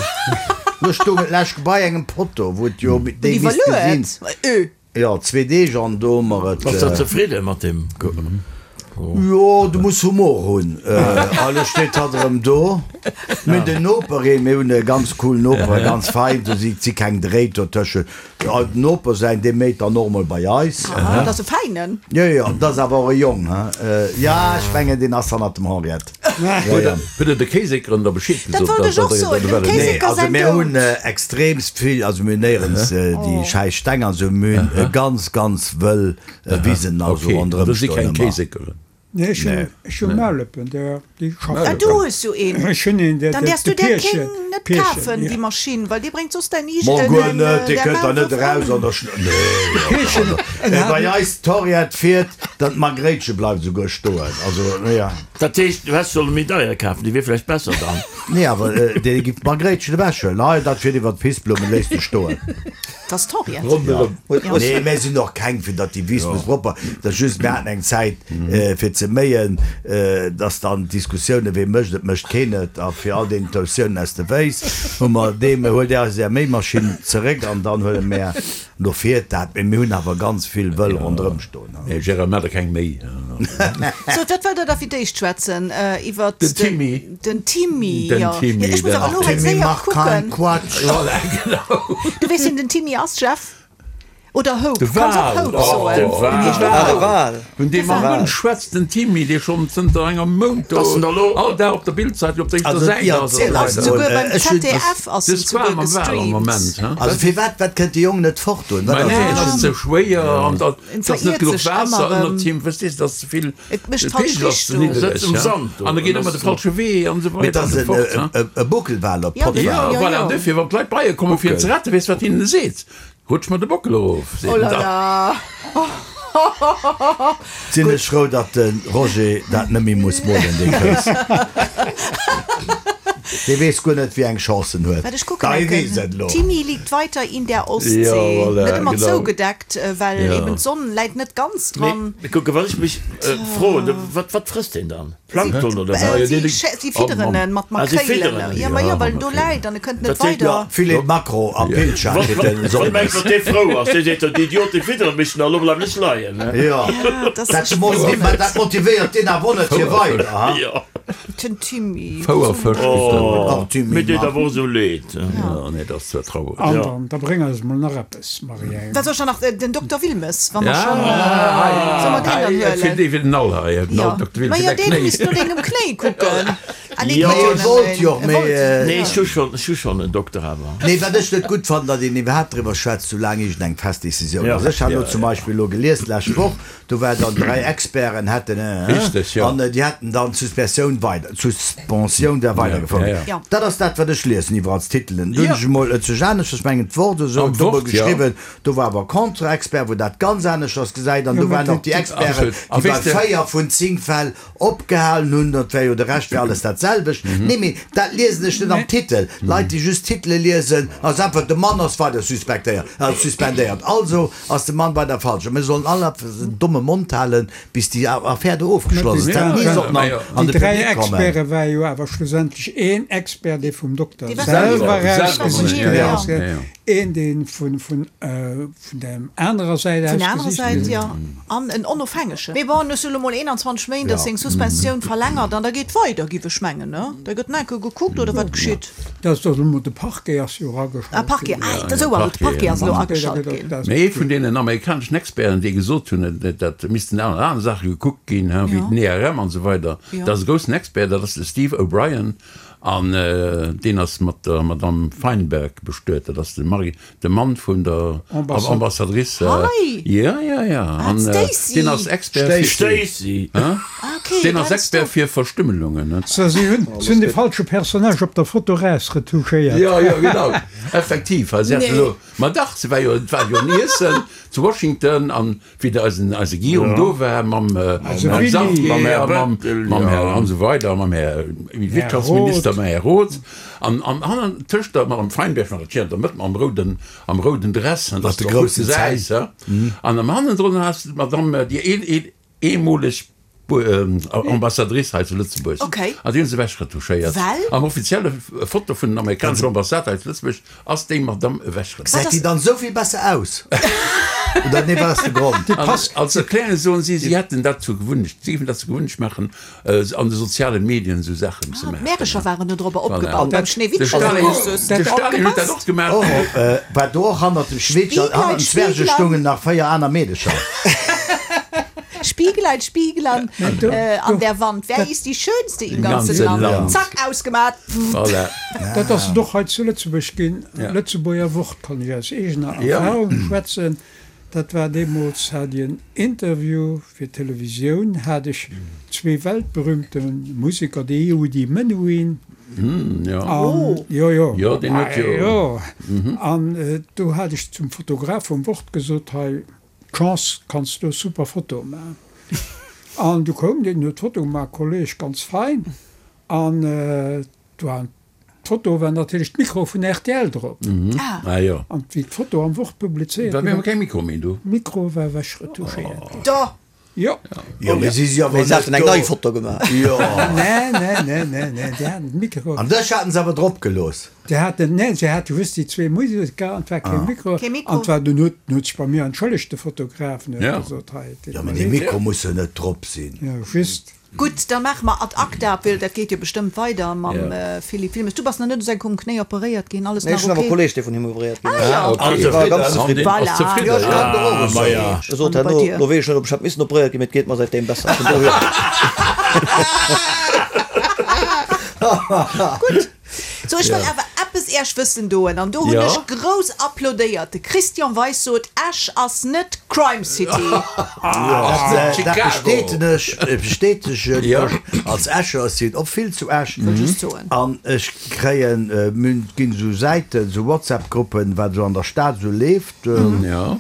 Lo stoung et lech bei engem Potto, wou et jo déi misst gesinn. Iwwerluet? Jo, zwee Deeg an do hu mer et. Bass der zefridde mat deem? Jo, du muss Humor hunn. A lo steet hatt erëm do. Mir hunn den Noper een, mir hunn e ganz coolen Noper, e ganz fein, do si si keng Dréit dotëschent. Den Noper säin, dee méit dann och emol bei eis. Ah, dat ass e Feinen. Jo, jo, dat ass awer och e Jong, he. Ja, ech mengen, deen ass hannert dem Henriette. Jo, jo. Hutt Der de Kéiséckeren da Bescheed Dat gesot, wollt dass ech och der soen, dem dat wëllen? Nee, Kéisécker also säin mir Doud. hunn extreemst vill, also mir hunn néierens déi schäiss Steng an esou, mir hunn ganz, ganz wëll Wisen also Okay, ronderëm do si stoen keng ëmmer. Kéiséckeren. Nee, ech hunn, ech hu Maulëppen, der, déi Ah, schaffen. du hues jo een. Ech hunn een, der, Dann der, däerfs du de där Pierchen, kéng net Pierchen, kafen, ja. déi Maschinn, well déi bréngt soss däin Ig, Mo guer däin, net, dee där kënnt da net Maulwurf eraus ëm. an der Schn, nee, Pierchen, en also, hat bei eis d'Henriette fiert, dann d'Margréitche bleift esouguer stoen, also, ja. Dat heescht, du häss solle méi deier kafen, déi wier vläicht besser dann. Nee, awer dee giff d'Margréitchen ewechhuelen, hei, dat fiert iwwer d'Pissblummen, léisst e stoen. Dat ass d'Henriette. Ronderëm. Nee, mir sinn och keng, fir datt déi Wiss muss propper. Dat ass just, mir haten eng Zäit fir ze méien, datt dann d'Diskussiounen, wee mécht et, mécht keen et, a fir all deenen Toutiounen aus de Féiss, hu mer deem, huelt Är eis Är Méimaschinn zeréck an dann huele mär, lo fiert dat. Mee mir hunn awer ganz vill wëll ronderëm stoen. Nee, Gérard, maach der keng Méi. Sou, wat wëllt Der da fir d'éischt schwätzen? Iwwert Den Timmy. Den Timmy, Den jo. Timmy, Ech muss den awer elo hei Timmy séier mach kein kucken. Quatsch. Voilà, genau. Du weess, wien den Timmy ass, Jeff? Oder Hope? De Kanns och Wal. Hope Oh, soen. de Den Wal. heescht och Ah, de Hope. Wal. Vun deem De am Wal. Mund schwätzt den Timmy, dee schonn zënter engem Mount do Ass en da lo- all Dag op der Bildzeitung op der éischter Also, Säit ja, ass. ziel Ass eis souguer mol, beim ech hunn- Z D F ass De en souguer Squal mam Wal am gestreamt. Moment, he? Also firwat, wat kënnt de Jong net fort doen? Wat Mä ass nee, et? et ass ze schwéier an dat En ass net veriert genuch sech ëmmer Waasser erëm. ënnert him, verstees, dat ass ze vill, Et mécht de falsch Peegel ass ze Richtung. niddreg, Sëtzt um he? Sand do. An e geet ëmmer de falsche Wee an esou Mee et weider an ass esou en, fort, he? e, e Buckelwal, e Ja, Pottwal. Ja, Ja, voilà, ja. an dofir, wann d'Leit bei e kommen, fir en ze retten, weess wat hinnen seet? Rutsch mer de Bockel erof, seet Oh en la dann. la. Sinn ech frou, datt de Roger dat net méi muss molen, dee Kous. Dee weess guer net, wéi eng Chance en huet. Wat ech kucken Dei enken. weess et elo. Timmy liegt weiter in der Ostsee. Ja, voilà, Net ëmmer genau. zougedeckt, well Ja. eben d'Sonn läit net ganz dran. Mee kucke, wat ech mech froen, wat, wat frësst deen dann? Plankton oder Äh, wat? ja, si, dee- si Oh, fidderen Mann. en mat Ah, si Makréilen. fidderen en. Ja, ma Ja, jo, well mat en do Makréilen. läit an e kënnt net Dat seet- weider. Ja, Filet Makro a Pilcher Wat, kritt wat, en wat Sonndes. mengs wat dee frou ass? Dee seet, déi Idiote fidderen mech, na, lo bleiwen ech leien, ne? Ja, Ja, das dat, ist mo ma dat motivéiert deen awer net fir weider. Ha? Ja. Den Timmy. Fouerfësch kritt en. Oh, Ach, Timmy, mir deet Mann. awer och esou leed. Ja, nee, dat ass zwar traurig. An Ja. dann, da bréng eis mol nach eppes, Marie. Wat soll ich da nach? Den Dokter Wilmes, wann mer Ja, schon. hei, Soll mer deen dann hei, fir huelen? dee fir den All hei, den Ja. All Dokter Wilmes, Ma fir jo, däi deen Knéi. misst no dengem Knéi kucken. Ah, nee, Jo, geet jo e wollt jo, nëmmen. E mee, wollt. äh, Nee, ech hu schonn, ech hu schonn en Dokter awer. Nee, wat ech net gutt fannen, datt een iwwerhaapt driwwer schwätzt, soulaang iergendeng fest Decisioun Ja. ass. Ech hat Ja, elo zum ja. Beispill elo gelies d'lescht Woch, do war dann dräi Experten hätten, äh, Richteg, jo. an déi hätten dann d'Suspensioun weider, d'Suspensioun wär weidergefouert. Ja, ja. Ja. Dat ass dat, wat ech liesen iwwer als Titelen. Du hunn Ja. ech emol et sech aneschters, ech mengen d'Wort oder esou, Am do emol Wort, ja. geschriwwen, do war awer Contre-Expert, wou dat ganz aneschters gesäit, an Ja, do mä waren och déi- déi Experten, Absolut. A déi bei weess de- véier vun zéng Fäll opgehalen hunn, dat wär jo de Rescht wär alles dat selwecht. Nee, mee dat liesen ech net am Titel. Leit, déi just Titele liesen, ass einfach, de Mann ass weider suspektéiert, äh, suspendéiert. Also ass de Mann weider falsch. A mir sollen all den domme Mond halen, bis déi Affär do ofgeschloss ass. Dat ni sollten an, an Déi de dräi Public kommen. Experte war jo awer schlussendlech een Expert, dee vum Dokter Dee war selwer selwer, erausgesicht ja, ginn ja, ass, ja, ja. een, dee vun, vun, äh, vun der anerer Säit Vun der anerer ausgesicht Säit, ginn. ja. An en onofhängegen. Mee bon, es elo mol eenanzwanzeg Méint, dass Ja. seng Suspensioun verlängert an da geet weider, giff ech mengen, ne? Da gëtt enke gekuckt oder wat geschitt. Dat ass doch elo de Parquet ass jo erageschalt Ah, Parquet, ginn. ah, dat esou ass et, de Parquet ass elo Parquet, da ageschalt gëtt ginn. dat- Mee ee vun deenen amerikaneschen Experten, déi gesot hunn, dat, dat missten aner aner Saache gekuckt ginn, hein, wéi Ja. den E R M an esou weider. Ja. Dat ass e groussen Expert, dat ass de Steve O'Brien, an äh, deen ass mat der Madame Feinberg bestuet. Dat ass de Mari, de Mann vun der Ambassad- Ambassadrice. Äh, Hei! ja, ja, ja. Ah, An, äh, Stacy. deen ass Expert fir, Stacy! Hein? Ah, okay, Deen ass dat ass Expert doch- fir Verstümmelungen. Ne? So, si hunn, si hunn de falsche Personnage op der Foto rausretouchéiert. Ja, ja, genau. Effektiv. Also, sie hat Nee. elo, ma dach, se war jo, et war jo en Iessen zu Washington an wéi der eisen, eise Guillaume do war mam, äh, Also mam Willy. Xavier, Mam Herr mam, Bettel, mam ja. Herr an so weider, mam Herr Wirtschaftsminister, Roth. mam Herr Roth. An, an hannen tëscht der mam Feinberg war dat hier an der Mëtt mam rouden, am rouden Dress, an das de doch groussen gut gesäis, ja. An am hannendrun hast du d'Madame, déi een, een, eemoleg Bu- ähm, Ambassadrice hei zu Lëtzebuerg. Okay. An déi hunn se ewechretouchéiert. Well? Am offizielle Foto vun den amerikaneschen Ambassade hei zu Lëtzebuerg ass déi Madame ewechretouchéiert. Gesäit déi dann esou vill besser aus? Oder nee, wat ass de Grond? An, als erklären soen sie, sie hätten dat zu Gewunnecht, sie géifen dat zu Gewunnecht machen, äh, an de sozialen Medien so Sachen zu Ah, machen. d'Märecher waren do drop Voilà. opgebaut, beim De Schneewittchen Stalin, och soss. de Stalin huet dat Opgepasst. och gemaach. Oh, äh, war do och hannert dem Schneewittchen, Spieglein, hannert dem Zwerge Spieglein. stungen nach véier aner Meedecher. Spieglein, Spieglein, do- äh, an do- der Wand. Wer ist die Schönste im ganzen ganzen Land? Land. Zack, ausgemacht. Voilà. Dat ass et och hei zu Lëtzebuerg ginn. Ja. Lëtzebuerger Wort kann ech aus eegener Ja. Erfahrung schwätzen. Dat war deemools, hat ech en Interview fir Televisioun, hat ech zwee weltberühmte Museker, de Yehudi Menuhin Hm, ja. an, Oh. jo, jo. Jo, deen huet Ah, jo- jo. An äh, do hat ech zum Fotograf vum Wort gesot, hei, Chance, kanns du super Foto maachen. An du koum deen huet d'Foto gemaach, Kolleg, ganz fein. An äh, do war d'Foto war natierlech d'Mikro vun R T L drop. Ah. Ah, jo. An wéi d'Foto am Wort publizéiert Da gi mir war, keng Mikro méi do. Mikro war ewechretouchéiert. Da. Jo. Jo, mee si si awer Mee se haten net eng do. nei Foto gemaach. Jo. Nee, nee, nee, nee, nee, déi haten de Mikro. An dech haten se awer drop gelooss. Déi haten, nee, se hate just déi zwee Museker an et war kee Mikro. Kee Mikro. An et war den huet, den huet sech bei mir entschëllegt, de Fotograf, en huet Ja. gesot, hei, et Ja, mee de Mikro muss jo net drop sinn. Ja, just. Gutt, da maache mer ad acta, well dat geet jo bestëmmt weider mam, Ja. äh, Philippe Wilmes. Du bass nach net u sengem Knéi operéiert ginn, alles Nee, nach ech hunn awer okay? Kolleg, dee vun him operéiert ginn Ah, ass. ja. Okay. Also, War ganz An zefridden. deen ass Voilà. zefridden. Ja, ech kann doch och Ah, soen. ma ja. Ech sot An bei herno, dir? lo weess ech net, ob ech hätt missen operéiert ginn, mee et geet mer säitdeem besser. Vun dohier. Gutt. So, ech wëll awer eppes erscht wëssen doen. An do hunn Ja. ech grouss applaudéiert. De Christian Weis sot, Esch ass net Crime City. Dat, äh, dat Chicago. bestätegen ech, äh, bestätegen Ja. ech als Escher, ech sinn och vill zu Esch. Wëll just soen. An ech kréien, äh, mir ginn sou Säiten, sou WhatsApp-Gruppen, wat sou an der Stad sou leeft. Ähm, Ja.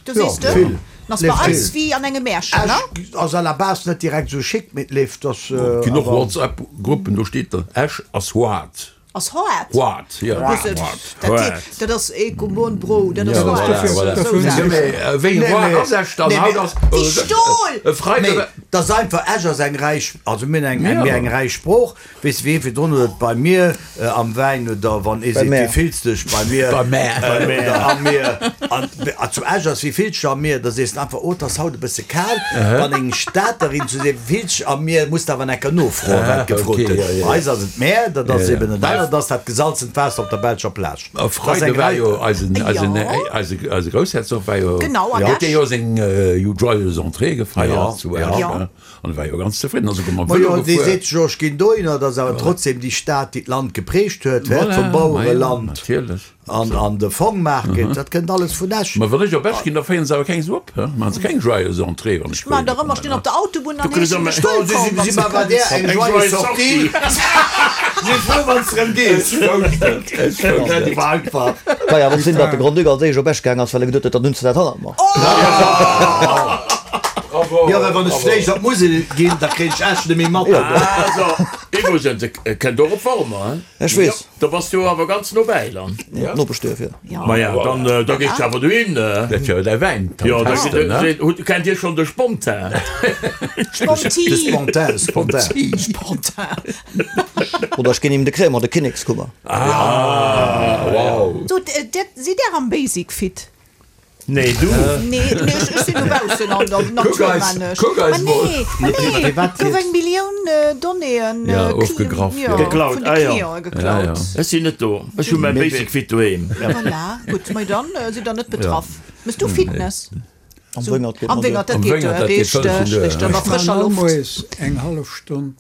Du Ja, siehst du, vill. Das war Leeft alles vill. wéi an engem Märchen, ne? Esch ass à la base net direkt sou schick mit leeft, das, äh, Ginn och awer- WhatsApp-Gruppen, do steet dann, Esch ass hart. Ass hart? Hart, ja. Das ist- Hart. dat Hart. dat ass ee Gumon Bro, dat ass Ja, hart. voilà, So voilà. sagen. Ja, mee, äh, wéi Nee, hart nee. ass Esch dann? Nee, Haut mee- ass, Wie äh, Stol! äh, Freitag- Nee, das ist einfach Esch ass eng reich, also mir eng, eng, Ja. mir eng reich Sprooch. Weess du, wéi virdrun huet bei mir, äh, am Wäin oder wann ee Bei seet, mär. wie fillst dich bei mir? Bei mär. Bei mir. Oder am mir. An, a zu Esch ass, wie fillst du am mir? Da sees du einfach, oh, das haut e bësse kal. Wann eng Staterin zu seet, wie fillst du am mir, musst du awer enker nofroen, wat gefrot okay, gëtt. ja, ja. Bei eis ass et Meer, dat ass Ja, eben ja. en Bei anert ass dat gesalzent Waasser op der belscher Plage. A Freide war jo eisen, eisen, eise, eise Groussherzog war jo, Genau, an huet Esch. dee jo seng Joyeuse Entrée gefeiert zu Esch, Ja. ne? An war jo ganz zefridden, ass souguer mam Majo, Vëlo dee gefuer. seet sech jo, ech ginn dohinner, dat ass awer trotzdem déi Stad, déi d'Land geprägt huet, hä, Voilà, vum majo, Bauereland natierlech. an, an de Fong-Market, dat kënnt alles vun Esch. Ma wann ech op Esch ginn, da féieren se awer keng esou op, hä? Maachen se keng Joyeuse Entrée, wann ech Ech maan dohinner der ëmmer, kommen, stinn ne? op der Autobunn an Du kriss heeschen ëmmer- dech Do si wëllkomm, wann si s mer de bei där kënns. eng Eng joyeuse joyeuse Sortie. Sortie. Si frou, wann s rëm gees. Ech wousst Dat et. war einfach. Kann jo awer och sinn, datt de Grand-Duc als éischt op Esch gaang ass, well e geduet huet, dann hunn se dat hannert mer. Bravo. Jo, well wann ech fréich op d'Musel ginn, da kréien ech Esch net méi mat. Also, iwwregens, e kënnt och op Wormer, hein? Ech weess. Da bass du awer ganz nobäi dann. Ja. Nopeschduerf, jo. Ja. Ma ja, dann, da gees du awer dohin. Dat jo däi Wäin Jo, da testen, ne? hutt, kennt Dir schonn de Spontan? De Sponti. Spontan, Spontan. Spontan. Oder ech ginn him de Krémer, de Kinnekskummer. Ah, wow. So, d- sidd Där am Basic fit? Nee, du. Nee, nee, ech, ech sinn dobaussen an der Natur, Kuck eis, man ech. kuck eis Ma mol. nee, ma nee, Privat gouf jetzt. eng Millioun äh, Donnéeën Ja, äh, ofgegraff, ja, ja. Geklaut, vun de ah ja. Clienten geklaut. Ja, ja. Ech sinn net do. Ech hu mäi Basic Fit doheem. Voilà, gutt, ma dann äh, sidd der net betraff. Mëss du Fitness? Am So, Wéngert geet am man duer. Wéngert, dat Am geet Wéngert, duer, dat geet richteg, vëlleg duer, richteg, ja. an der Ech frëscher maan Loft. moies eng hallef Stonn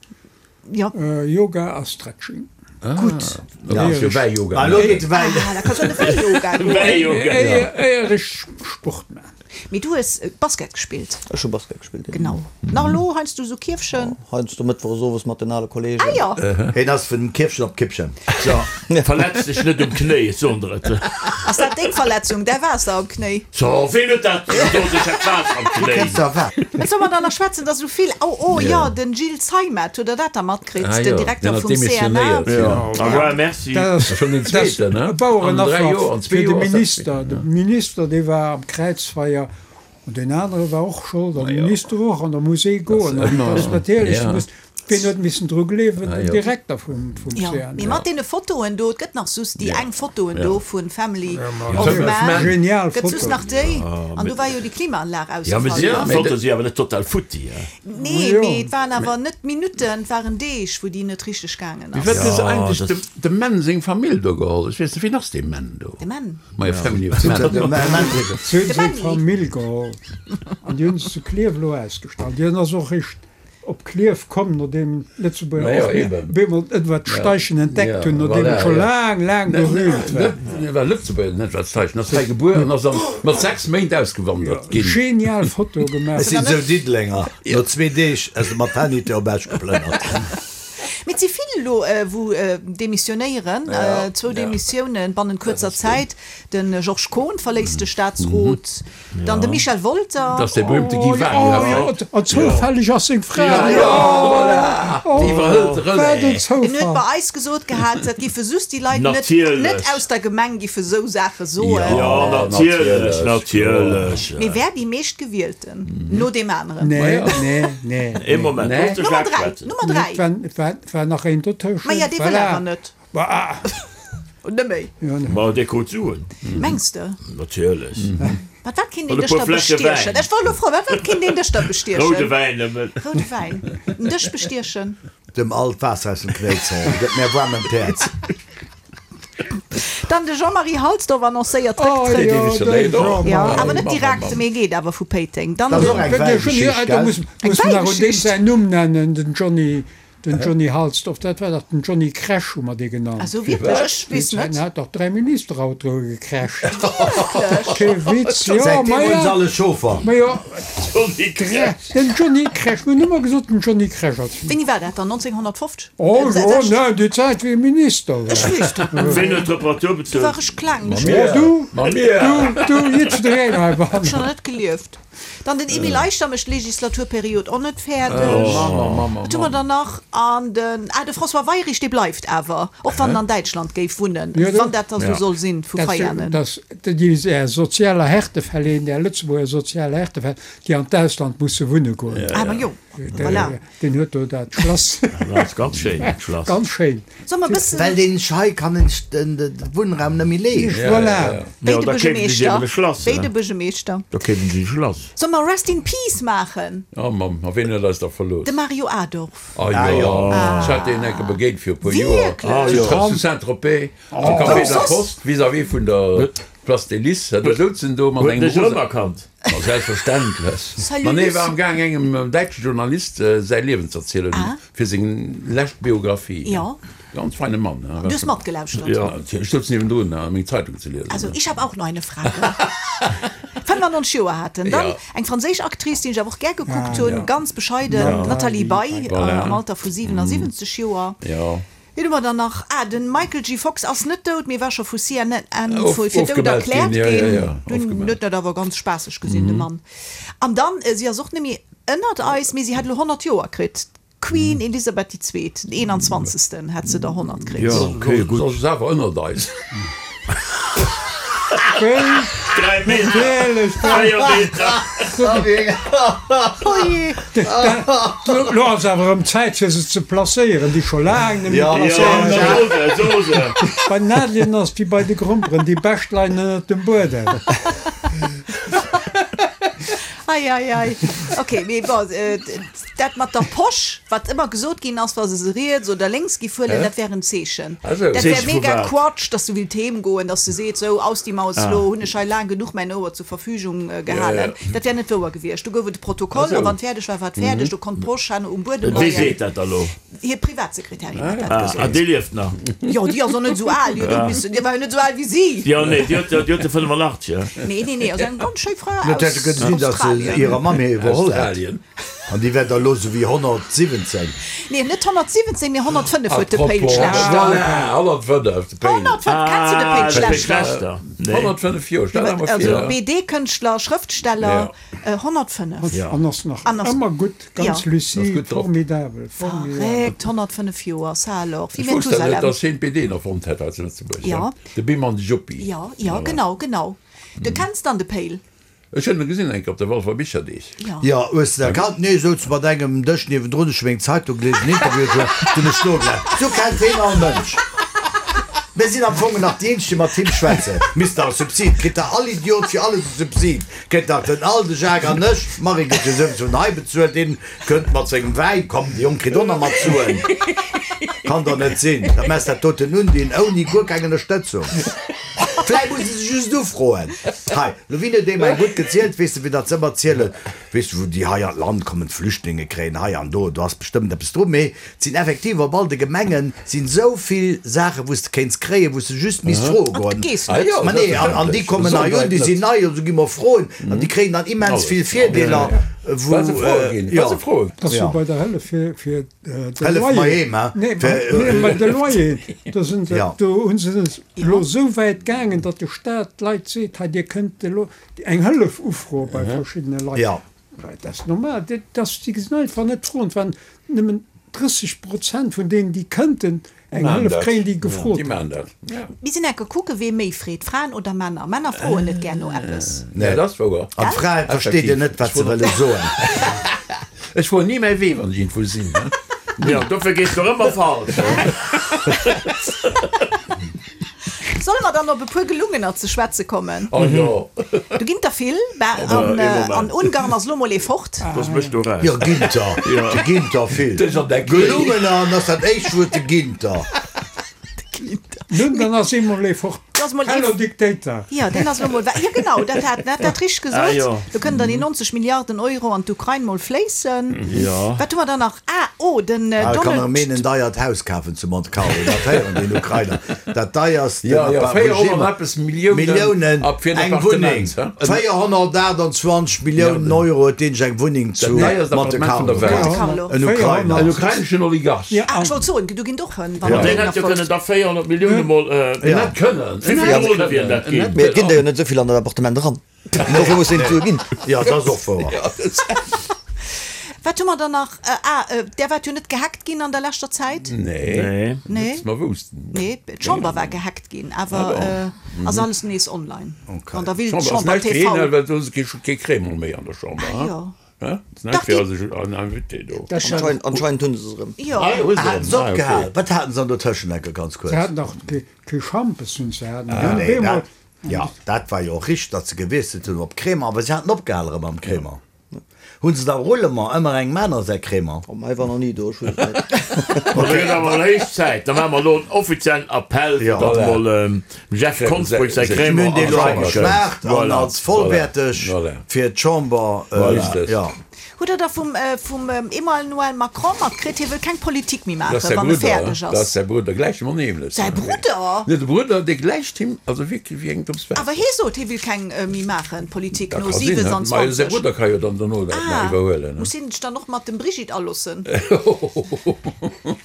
Ja, äh, Yoga a Stretching. gutt. Ja, ass jo Wäiyoga. Ah, lo geet de Wäin. Ah, da kannst du an de Wäiyoga goen. Wäiyoga. Éier éier ech Sport maan. Mee du hues äh, Basket gespillt. Ech hu Basket gespillt, jo. Genau. Nach elo heiansdo sou Kierfchen? Heiansdo mëttwochs owes mat den ale Kollegen. Ah ja. Hien ass vun Kierfchen op Kippchen. So, verletz dech net um Knéi, ech soen der et. Ass dat deng Verletzung, däi Waasser am Knéi? So, ween huet dat gesot, ech hätt Waasser am Du Knéi? kenns der wat? Wat soll mer da nach schwätzen, dass esou vill, oh, oh jo, den Gilles Zeimet, hutt der dat da matkritt, Ah den jo, Direkter deen hat vum C N A? demissionéiert, jo. Ah ouais, merci. Dat ass Schon den dat ass zweeten, ne? e An dräi Bauerenaffer Joer, an zwee fir de Joer ass dat Minister. De Minister, dee war am Kräizfeier an deen anere war och Schold, an de Minister och, an da muss ee goen. An dat ass natierlech, ja. du muss, wien huet missen dru gleewen? Ah Den jo. Direkter vum, vum Ja, C N A. mee mat deene Fotoen do, et gëtt nach soss déi eng Fotoen do vun Family of Family of Man. Man. Genial Gëtt soss Foto. nach déi? An do war jo déi Klimaanlag Ja, mee ausgefall, si, ne? déi Fotoe si awer net total futti, hè? Nee, Jo. mee et waren awer net Minutten, et waren Deeg, wou déi net richteg gaangen Wéi ass. wat huet se Ja, eigentlech das- dem, dem Mann seng Famill do geholl? Ech weess net, wien ass dee Mann do? De Mann? Ma jo, Family of Man. De Mann. Se hunn De seng Manni. Famill geholl an déi hunn se zu Klierf elo ausgestallt. Déi ass och réischt op Klierf komm, nodeem d'Lëtzebuerger Ma jo, och eben. op eemol Edward Steichen entdeckt Ja, hunn, nodeem voilà, et scho ja. laang, laang berühmt war. Net war Lëtzebuerger, net wat Steichen, ass hei gebuer an ass dann mat sechs Méint ausgewandert ginn. Genial Foto gemaach. Es sinn esou Diddelenger. No zwee Deeg ass de Maternité op Esch geplënnert. Mee et si vill elo, wou demissionéieren, zwou Demissiounen bannent kuerzer Zäit. De Georges Kohn verléisst de Staatsrot, dann de Michel Wolter. Dat ass dee berühmte Guy Wagner, vläicht. An zoufälleg ass seng Fra. Jo, voilà, déi iwwerhëlt de Wat en Relais. En huet Zoufall. bei eis gesot gehat, dat giffe soss déi Leit net, Natierlech. net aus der Gemeng giffe sou Saache soen. Jo, natierlech, natierlech. Mee wär déi meeschtgewielten no deem aneren. Nee, nee, nee. Ee Moment, Nee. looss de Nummer Jacques dräi, schwätzen. Nummer dräi. Et war, et war, et war nach een dotëschent. Ma ja, dee wëll Voilà. awer net. Bah, ah. Und net méi. Ja, ne. Ma dee krut Suen. Mengs de? Natierlech. Mat wat kinnt een An e dech puer da Fläsche bestiechen? Wäin. Ech wollt elo froen, mat wat kinnt een dech da bestiechen? Roude Wäin nëmmen. Roude Wäin. En dech bestiechen. Dem all d'Waasser aus dem Knéi ze holen, gëtt mir waarm ëm d'Häerz. Dann de Jean-Marie Halsdorf annoncéiert Oh, Récktrëtt. jo, demissionéiert de och. Ja, Jean-Marie. awer net direkt, mee geet awer vu Péiteng. Dann Dat ass den och eng Wenn der schon, Wäigeschicht, ja, da gell? muss, Eng muss man nach un deem Wäigeschicht. säin Numm nennen, den Johnny, den Johnny Halsdorf, dat war dach den Johnny Crash, hu mer dee genannt. Also wierklech, ech weess Deen net. hat dach dräi Ministerautoe gecrasht. Wierklech? Kee Witz, jo, Säitdeem ma hunn se ja, alle Chauffer. ma jo, Johnny Crash. den Johnny Crash, mir hunn ëmmer gesot, den Johnny Crash als Wéini war dat dann? neunzehnhundertfofzeg? Oh, Äh, jo, sechzeg? ne, déi Zäit, wéi e Minister war. Ech weess dat net. Ween huet d'Reparatur Du bezuelt? war ech kleng. Ma Ech mir. Oh, du, Ma mir. du, du, jiddwereen Ech heibannen. schon net gelieft. Dann den Emile Eichter mécht d'Legislaturperiod och net fäerdeg. Wat hu mer dann nach? An den, ah, de François Weyrich, dee bleift awer, och wann en an Däitschland géif wunnen, Ja, wann dat da sou Ja. soll sinn, vu Dat, Veianen. dat, déi är sozialer Härtefäll een, där Lëtzebuerger sozial Härtefäll, déi an d'Ausland musse wunne goen. Ah, ma jo. Voilà. Deen huet do dat Schlass. Dat ass ganz schéin, dat Schlass. Ganz schéin. Soll mer e bëssen. Well deen hei kann en sech de Wunnraum net méi leeschten. Voilà. Wéi de Da keeft en sech eben e Buergermeeschter. Schlass. Wéi de Buergermeeschter. Da keeft en sech e Schlass. Soll mer Rest in Peace maachen? Oh Mamm, a ween huet eis da verlooss? De Mario Adorf. Ah jo, ech hat deen enke begéint fir e puer Joer. Wierklech? Zu Saint-Tropez, am Café de la Poste, vis-à-vis vun der Place des Lices. Do souz en do mat Huet en engem dech rosa. erëmerkannt? Ma selbstverständlech. Salut Ma nee, Lucie. war am Gaang engem däitsche Journalist säi Liewen z'erzielen fir seng lescht Biographie. Jo. Ganz feine Mann. Du hues matgelauschtert? Jo, ech souz niewendrun meng Zeitung ze liesen. Also ich habe auch noch eine Frage. fënnfenannonzeg Joer hat en. Dann Ja. eng franséisch Actrice, déi ech awer och gär gekuckt hunn, ganz bescheiden, d'Nathalie Baye, am Alter vu siwenasiwwenzeg Joer. Jo. Wien hu mer dann nach? Ah, de Michael J. Fox ass net dout, mee war scho vu C N N Of, fir dout ofgemellt erkläert ginn, ja, ja, ginn. ja, Dunn ofgemellt. huet dat awer ganz spaasseg gesinn, de Mann. An dann, si ass och net méi ënnert eis, mee si hätt elo honnert Joer kritt, d'Queen Elisabeth déi Zweet, den eenanzwanzegsten hätt se der honnert kritt. Jo, okay, gutt. Soss ass awer ënnert eis. Dräi Meter, Natierlech, véier Meter. Oje! Lo ass awer erëm Zäit fir se ze placéieren, déi scho laang net méi Ja, Ja, placéiert da sinn. so se, so se. Bei den Nadeln ass wéi bei de Gromperen, déi bescht leien ënnert dem Buedem. Ei, ei, ei. Ok, mee bon, dat mat der Posch, wat ëmmer gesot ginn ass, wa se se riets oder lénks giff huelen, dat wär en Zeechen. Also, Dat wär Zeeche vu mega wat? Quatsch, dass du willt heem goen, dass se seet, sou, aus die Maus, lo hunn ech hei laang genuch mäin Ouer zur Verfügung gehalen. Dat wär net wouer gewiescht. Do gouf et e Protokoll, a wann et fäerdeg war, war et fäerdeg. Do konnt d'Posch herno um Buedem Wie leien. seet dat da lo? Hir Privatsekretärin huet dat Ah, gesot. déi lieft nach. Jo, déi ass och net esou al. Déi huet och missen, déi war jo net esou al wéi si. Jo, nee, déi huet, déi huet de fënnefenachtzeg, ja. Nee, nee, nee, ass eng ganz schéi Fra Et hätte aus kënne sinn, datt se Australien. hirer Mamm hir iwwerholl hätt. Australien. An déi wär da elo sou wéi honnertsiwwenzéng. Nee, net honnertsiwwenzéng, mee honnertfënnef huet de Péil Apropos, Schlechter. voilà, honnertfënnef, de Péil. Honnertfënnef, kenns du de Péil Ah, de Péil Schlechter? Schlechter. Nee. Honnertfënnef Joer, stell der mol Also vir. B D-Kënschtler, Schrëftsteller, honnertfënnef. Ja. An ass nach An ass- ëmmer gutt, ganz Ja. lucide, Ass gutt drop. formidabel, formidabel. Verréckt, honnertfënnef Joer, ça alors, wéi Ech wousst dat net, Methusalem. dass hien d'B D erfonnt hätt hei zu Lëtzebuerg. Ja. De Bim an de Juppi. Ja, ja, genau, genau. Du kenns dann de Péil? Ech hunn e gesinn eng Kéier op de Walfer Bicherdeeg. Ja. Ja, hues de erkannt? Nee, souz mat engem Dësch niewendrun, ech hu meng Zeitung gelies, en Interview gehuet, dunn ech nogelauscht. Sou kennt heen all Mënsch. Mir sinn am Fong nach déi eenzeg, déi mat him schwätzen. Mister Subsid, kritt der all Idiot fir alles e Subsid. Kritt nach den all, de Jacques an ech. D'Marie gëtt jo souwisou nei bezuelt, deen kënnt mat sengem Wäin, komm, de Jong kritt och nach mat Suen. Kann doch net sinn. Dat mess dat doten undinn, ouni guer keng Ënnerstëtzung. Vläicht muss e se just ufroen. Hei, lo wien huet deem eng gutt gezielt, weess de, wéi dat se ëmmer zielen, weess de, wou déi hei an d'Land kommen, d'Flüchtlinge kréien hei an do, do ass bestëmmt eppes dru, mee et sinn effektiv op all de Gemengen sinn esou vill Saachen, wou s de kéints kréien, wou s de just misst froe An goen. du gees Ah net. jo, Ma nee, an, an déi kommen hei un, déi sinn nei, also gi mer froen, an déi kréien dann immens vill Virdeeler, wou, Well se froe ginn, jo. well se froen. Dat ass Ja. jo bei der Hëllef fir, fir de Hëllef Loyer. mer heem, hè? Nee, Fir, nee, bei de Loyer, do sinn se, Ja. do hunn se elo esou wäit gaangen, datt de Staat d'Leit seet, hei dir kënnt elo eng Hëllef ufroe bei verschiddene Leit. Ja. Dat ass normal, dat, dat, déi gesinn einfach net froen. Et waren nëmmen drësseg Prozent vun deenen, déi kënnten eng Maan Hëllef dat. kréien, déi gefrot Déi hunn. maan dat. Ja. Mir sinn enke kucke wee méi freet, Fraen oder Männer. Männer froen net gär no eppes. Nee, dat ass wouer. An d'Frae versteet een net, wat se wëlle soen. Ech fueren ni mäi Wee, wann ech iergendwou sinn. Jo, dofir gees de ëmmer falsch. Solle mer dann op e puer Gelungener ze schwätze kommen? Oh jo. Do ginn der vill. An, an Ungarn ass lo mol ee fort. Looss mech do raus. Jo, ginn der. Do ginn der vill. Dech an der Kéi. Gelungener ass dat éischt Wuert, de Ginter. Nun, dann ass ee mol ee fort. Do ass mol ee Hello Dictator. Jo, deen ass lo mol weg. Jo, genau, dat hat dat dat richteg gesot. Ah, jo. Do kënnen dann déi neunzeg Milliarden Euro an d'Ukrain mol fléissen. Jo. Wat hu mer dann nach? Ah, oh, den Ah, kann Donald. erëm een en deiert Haus kafen zu Monte Carlo. Dat héieren den Ukrainer. Dat deierst Ja, ja, véierhonnert Regime. eppes Milliounen Milliounen ab fir en eng Appartement, Wunneng. hä? véierhonnertachtundzwanzeg Milliounen Euro huet deen sech eng Wunneng zu deierst Monte Appartement vun der Carlo Welt. Monte kaf. Carlo. En Ukrainer. En ukraineschen Oligarch. Ja, Ah, ech wollt soen, du ginn och hënn, wann Ma en deen deen hätt jo erfolgt. kënnen da véierhonnert Millioune mol, En hätt kënnen. Wéi vill Drone wieren dat ginn? Mee et ginn der jo net esou vill an dat Appartement eran. Dofir muss een d'Sue ginn. Ja, dat ass och wouer. Wat hu mer dann nach? Ah, där waart jo net gehackt ginn an der leschter Zäit? Nee. Nee. Nee. Net, dass mer woussten. Nee, d'Chamber war gehackt ginn, awer ass alles nees online. Okay. Wann der willt, D'Chamber ass Chamber näischt fir een, T V. well do ass kee Crémant méi an der Chamber. Ah jo. Hä? Das Dach, fir déi- also an Invité do. Dat schon. Anscheinend, anscheinend hunn se se erëm. Jo. Ah, hu se Haten erëm. se Ah, okay. opgehal? Wat haten se an der Tëschent enke ganz Se kuerz? haten dach kee kee Schampes hunn se haten. Ah, nee, Op eemol- dat, ja, dat war jo och richteg, datt se gewiesselt hunn op Crémant, awer se haten opgehal erëm am Crémant. Hunn se da Roulement ëmmer engem aner säi Crémant? Oh, mei war nach ni do, ech weess et net. Ma da gëtt awer héich Zäit. Da maache mer elo en offiziellen Appell, fir Ja. datt Voilà. mol dem Jeff Konsbrück säi Mir Crémant hunn dee an lo d'Chamber kënnt. geschmaacht an Voilà. als vollwäerteg Voilà. fir d'Chamber, Voilà. ja. Hutt der da vum vum Emmanuel Macron matkritt, hie wëll keng Politik méi Dat ass maachen, säi wann e Brudder, fäerdeg dat ass ass? säi Brudder, gläich him nämlech. Säi Brudder? Nee, de Brudder, dee gläicht him, also wierklech wéi eng Drëps Waasser. Awer hie sot, hie wéilt keng méi maachen, Politik Dat no ka sinn, ne? Mä säi siewenundzwanzeg. Brudder ka jo dann dono dat nach Ah, iwwerhuelen, ne? muss hien sech dann och mat dem Brigitte aloossen?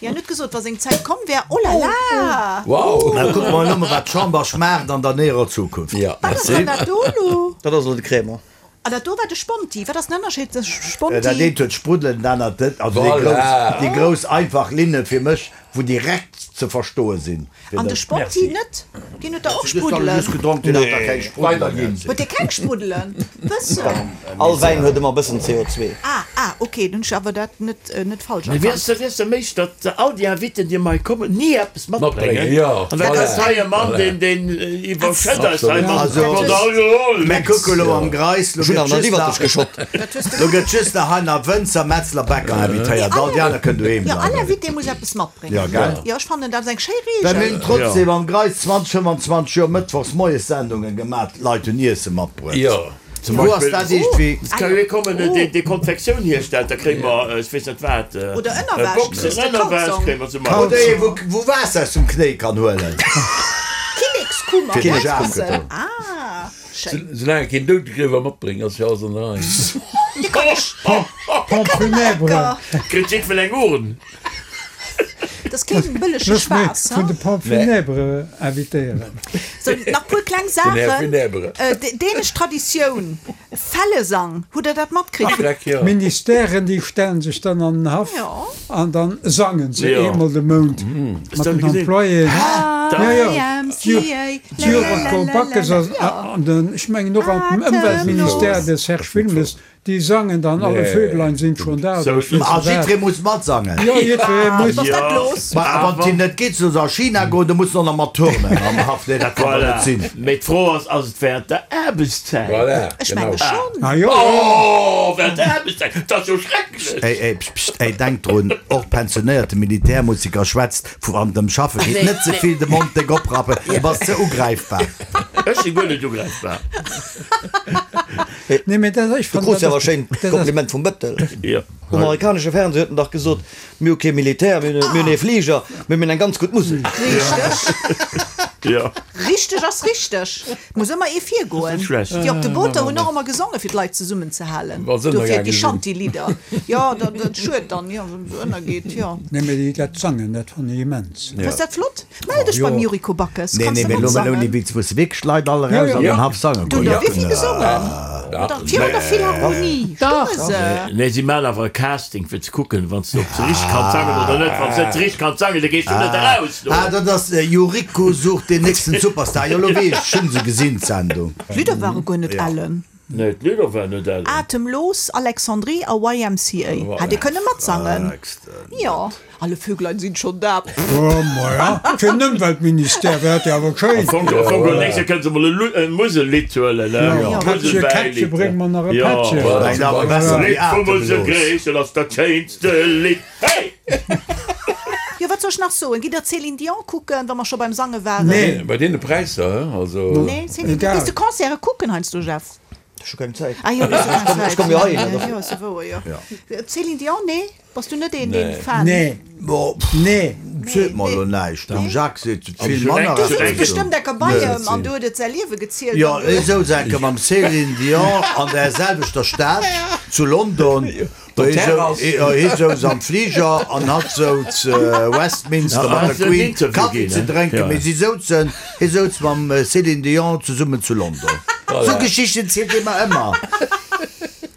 Hien huet gesot, wa seng Zäit komm wär, oh la la! Wow! Da kucke mer elo mol, wat d'Chamber schmaacht an der näherer Zukunft. Ja, Wat ass merci. dann dat do elo? Dat ass elo de Crémant. Ah, dat do war de Sponti. Wat ass den Ënnerscheed tëscht Sponti. Dat eent huet Spruddelen, dat anert net. Also déi Voilà. grouss, déi grouss einfach Linne fir mech, wou direkt ze verstoe sinn. An de Sponti net? Deen huet der och Dës habe Spruddelen. just gedronk, deen hat da keng Spruddelen. Weiderginn. Huet dee keng Spruddelen? Bëssen. All Wäin huet ëmmer e bëssen C O zwee. Ah, ah, ok, dann hunn ech awer dat net, net falsch Mee erkannt. weess de, weess de méich, datt all déi Inviten, déi mei kommen, ni eppes matbréngen? Matbréngen, jo. An dat Voilà. ass hei e Mann, deen, deen iwwerschëtt eis hei mat Also, mat Alkohol. Mir kucke lo am Greis, lo Ech hunn gëtt awer nach just iwwert nach, dech geschott. Dat hues de lo gëtt just nach hei nach Wënzer, Metzler, Bäcker invitéiert. All déi aner kënnen doheem Jo, all bleiwen. Invité muss eppes matbréngen. Ja, gell? Jo, ech fannen, dat ass eng schéi Well mir Reegel. hunn trotzdem am Greis zwanzeg, fëmmanzwanzeg Joer mëttwochs moies Sendungen gemaat, d'Leit hunn Iesse matbruecht. Jo. Zum Wou ass Beispill, dat iergendwéi? Es kann jo ee kommen, deen déi Konfektioun hierstellt, da kréie mer, ech weess net wat, Oder Ënnerwäsch, Boxen kriss de Ënnerwäsch Kalzong. kréie mer zum Oder Beispill. ee wou wou Waasser aus dem Knéi kann huelen. Kinnekskummer, Fir de Boxen. Jacques. Ah, schéin. Soulaang e keen Doudegriewwer matbréngt, ass jo alles an der Rei. Dir kann ech, Pompes funèbres. lecker. Kritt jiddwer eng Urn. Dat ass keen bëllege Looss mech Spaass, vun ha? de Pompes funèbres invitéieren. So, nach puer kleng Den Här Saachen. Funèbre. Äh, dänesch Traditioun, Fellesang, hutt der dat matkritt? Fleck, jo. D'Ministèren, déi stellen sech dann an den Haff Jo. an dann sangen se Jo. eemol de Mount Hast mat du den gesinn? Employéen. Ja, ja. Y M C A, D'Jureko Backes lalalala. an, an den, ech mengen och an dem Atemlos. Ëmweltministère, de Serge Wilmes, déi sangen dann alle Nee. Vöglein sind schon da. So, oder ich weess A net wat. jiddweree muss matsangen. Jo, jiddweree muss. Was ass dat Ja. los? Ma wann et net geet, soll se a China goen, da muss se och nach mat turnen am Haff. Nee, dat kann doch Voilà. net sinn. Mee d'Fro ass, ass et während der Aarbechtszäit? Voilà, Ech genau. menge schonn. Ah jo. Oh, während der Aarbechtszäit, dat ass jo schrecklech! Ey, ey, pst, pst, ey, denk drun, och pensionéierte Militärmusiker schwätzt vu an dem Schaffe geet net ze vill de Mond déck oprappen, du bass ze ugräifbar. Ech si guer net ugräifbar. Nee, mee dat, ech Du fannen, krus dat jo awer ass- schéin dat ass- Kompliment vum Bëttel. Jo. Um amerikanesche Fernseh huet en dach gesot, mir hu kee Militär, mir hunn mir hunn ee Fliger, mee mir hunn eng ganz gutt Musek. Richteg. Jo. Richteg ass richteg. Et muss ëmmer ee virgoen. Net schlecht. Déi op de Booter hunn och ëmmer gesongen, fir d'Leit zesummenzehalen. Wa se Dofir ënnergaange déi sinn. Shanty-Lidder. Jo, dat, dat schued dann, jo, wann se ënnergeet, jo. Nee, mee déi dat sangen, dat fannen ech immens. Fënns dat flott? Mell dech Jo. beim Yuriko Backes. Nee, Kanns nee, de mee lo mol ouni matssangen? Witz, musse wierklech d'Leit all Ja, eraus ja. an den Haff sange Du goen. hutt der wéi vill gesongen? Oder virun der Philharmonie? Dach. Stounge se? Nee, si maachen awer e Casting fir ze kucken, wann s du ob se richteg kanns sangen oder net. Wann s net richteg kanns sangen, da gees du net eraus do. Ah, dat ass Yuriko sucht den nächsten Superstar. Jo, lo weess ech, ech hunn se gesinn, d'Sendung. D'Lidder ware guer net ellen. Nee, d'Lidder waren net ellen. Atemlos, Alexandrie a Y M C A. Hätt Dir kënne matsangen. Jo, alle Vöglein sind schon da. Oh, ma ja. Fir den Ëmweltministère wär dat jo awer schéin. Am Fong, am Fong, am nächste kënne se mol e Musellidd huelen, ne? Ja, Kättche, Kättche, bréng mer nach e Pättche. Ja, Nein, awer besser wéi Lidd vum Atemlos. Muselgréissel ass dat schéinste Lidd. Hey! Jo, wat soll ech nach soen? Gitt der Céline Dion kucken, wa mer scho beim Sange waren? Nee. Bei deene Präisser, he? Also. Nee, Céline, Egal. gees de Concerte kucken heiansdo, Jeff? Ech hu keng Zäit. Ah jo, du hues jo keng Zäit. Ech komm jo heihin. Jo, ass jo wouer, jo. Céline Dion, nee? Bass du net een, deen Fan? Nee. Bo, pff, Nee. seet mer elo näischt. Dem Jacques seet vill schon manner eng- Du eppes. souz bestëmmt enker bei em an du huet et säi Liewe gezielt. Jo, ech souz enker mam Céline Dion an der selwechter Stad zu London. Hie souz am Fliger an hatt souz Westminster mat der Queen Kaffi ze drénken, mee si souzen, hie souz mam Céline Dion zesummen zu London. Sou Geschichten zielt hie mer ëmmer.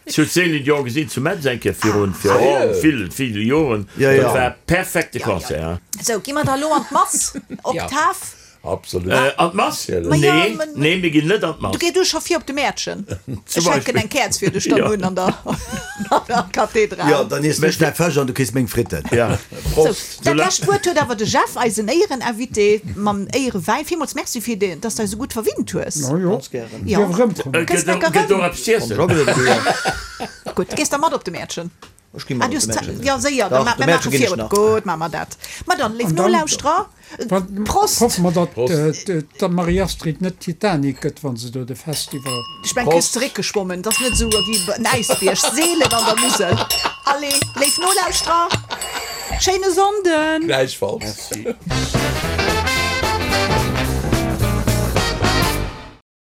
Ech hunn d'Céline Dion gesinn zu Metz eng Kéier virun, virun ville, ville Joren. Ja, ja. Dat war perfekte Concert. Sou, gi mer da lo an d'Mass, Oktav. Absolut. An d'Mass? Ma ja, Nee, men- nee, mir ginn net an d'Mass. Du gees du scho vir op de Mäertchen. Zum Ech hänken Beispill. eng Käerz fir dech dann Ja. un an der, an der Kathedral. Jo, dann iess ech däi Fësch an du kriss meng Fritten. Ja. Sou, Prost. dat lescht Wuert huet awer de Jeff, eisen Éiereninvité, mam Éierewäin. Villmools Merci fir deen, dass du eis esou gutt verwinnt hues. No jo, Ganz gären. Ja. dierf erëmkommen. Äh, Kënns Gëtt lecker gëtt rëm. och eppes z'iessen? Gutt, gees da mat op de Mäertchen? Ech gi Ah, mat du op de hues Mäertchen. Ja, séier, dann Dach, ma de mir Mäertchen maache ginn ech virun. nach. Gutt, maache mer dat. Ma dann, léif An dann- Nolauschterer, Wat- Prost! Hoffe mer, datt Prost. äh, d'Marie-Astrid net Titanic gëtt, wann se do de Festival. Ech mengen, kriss zeréckgeschwommen. Dat ass net esou wéi en Äisbierg, seelen an der Musel. Allez, léif Nolauschterer, schéine Sonnden! Gläichfalls. Merci.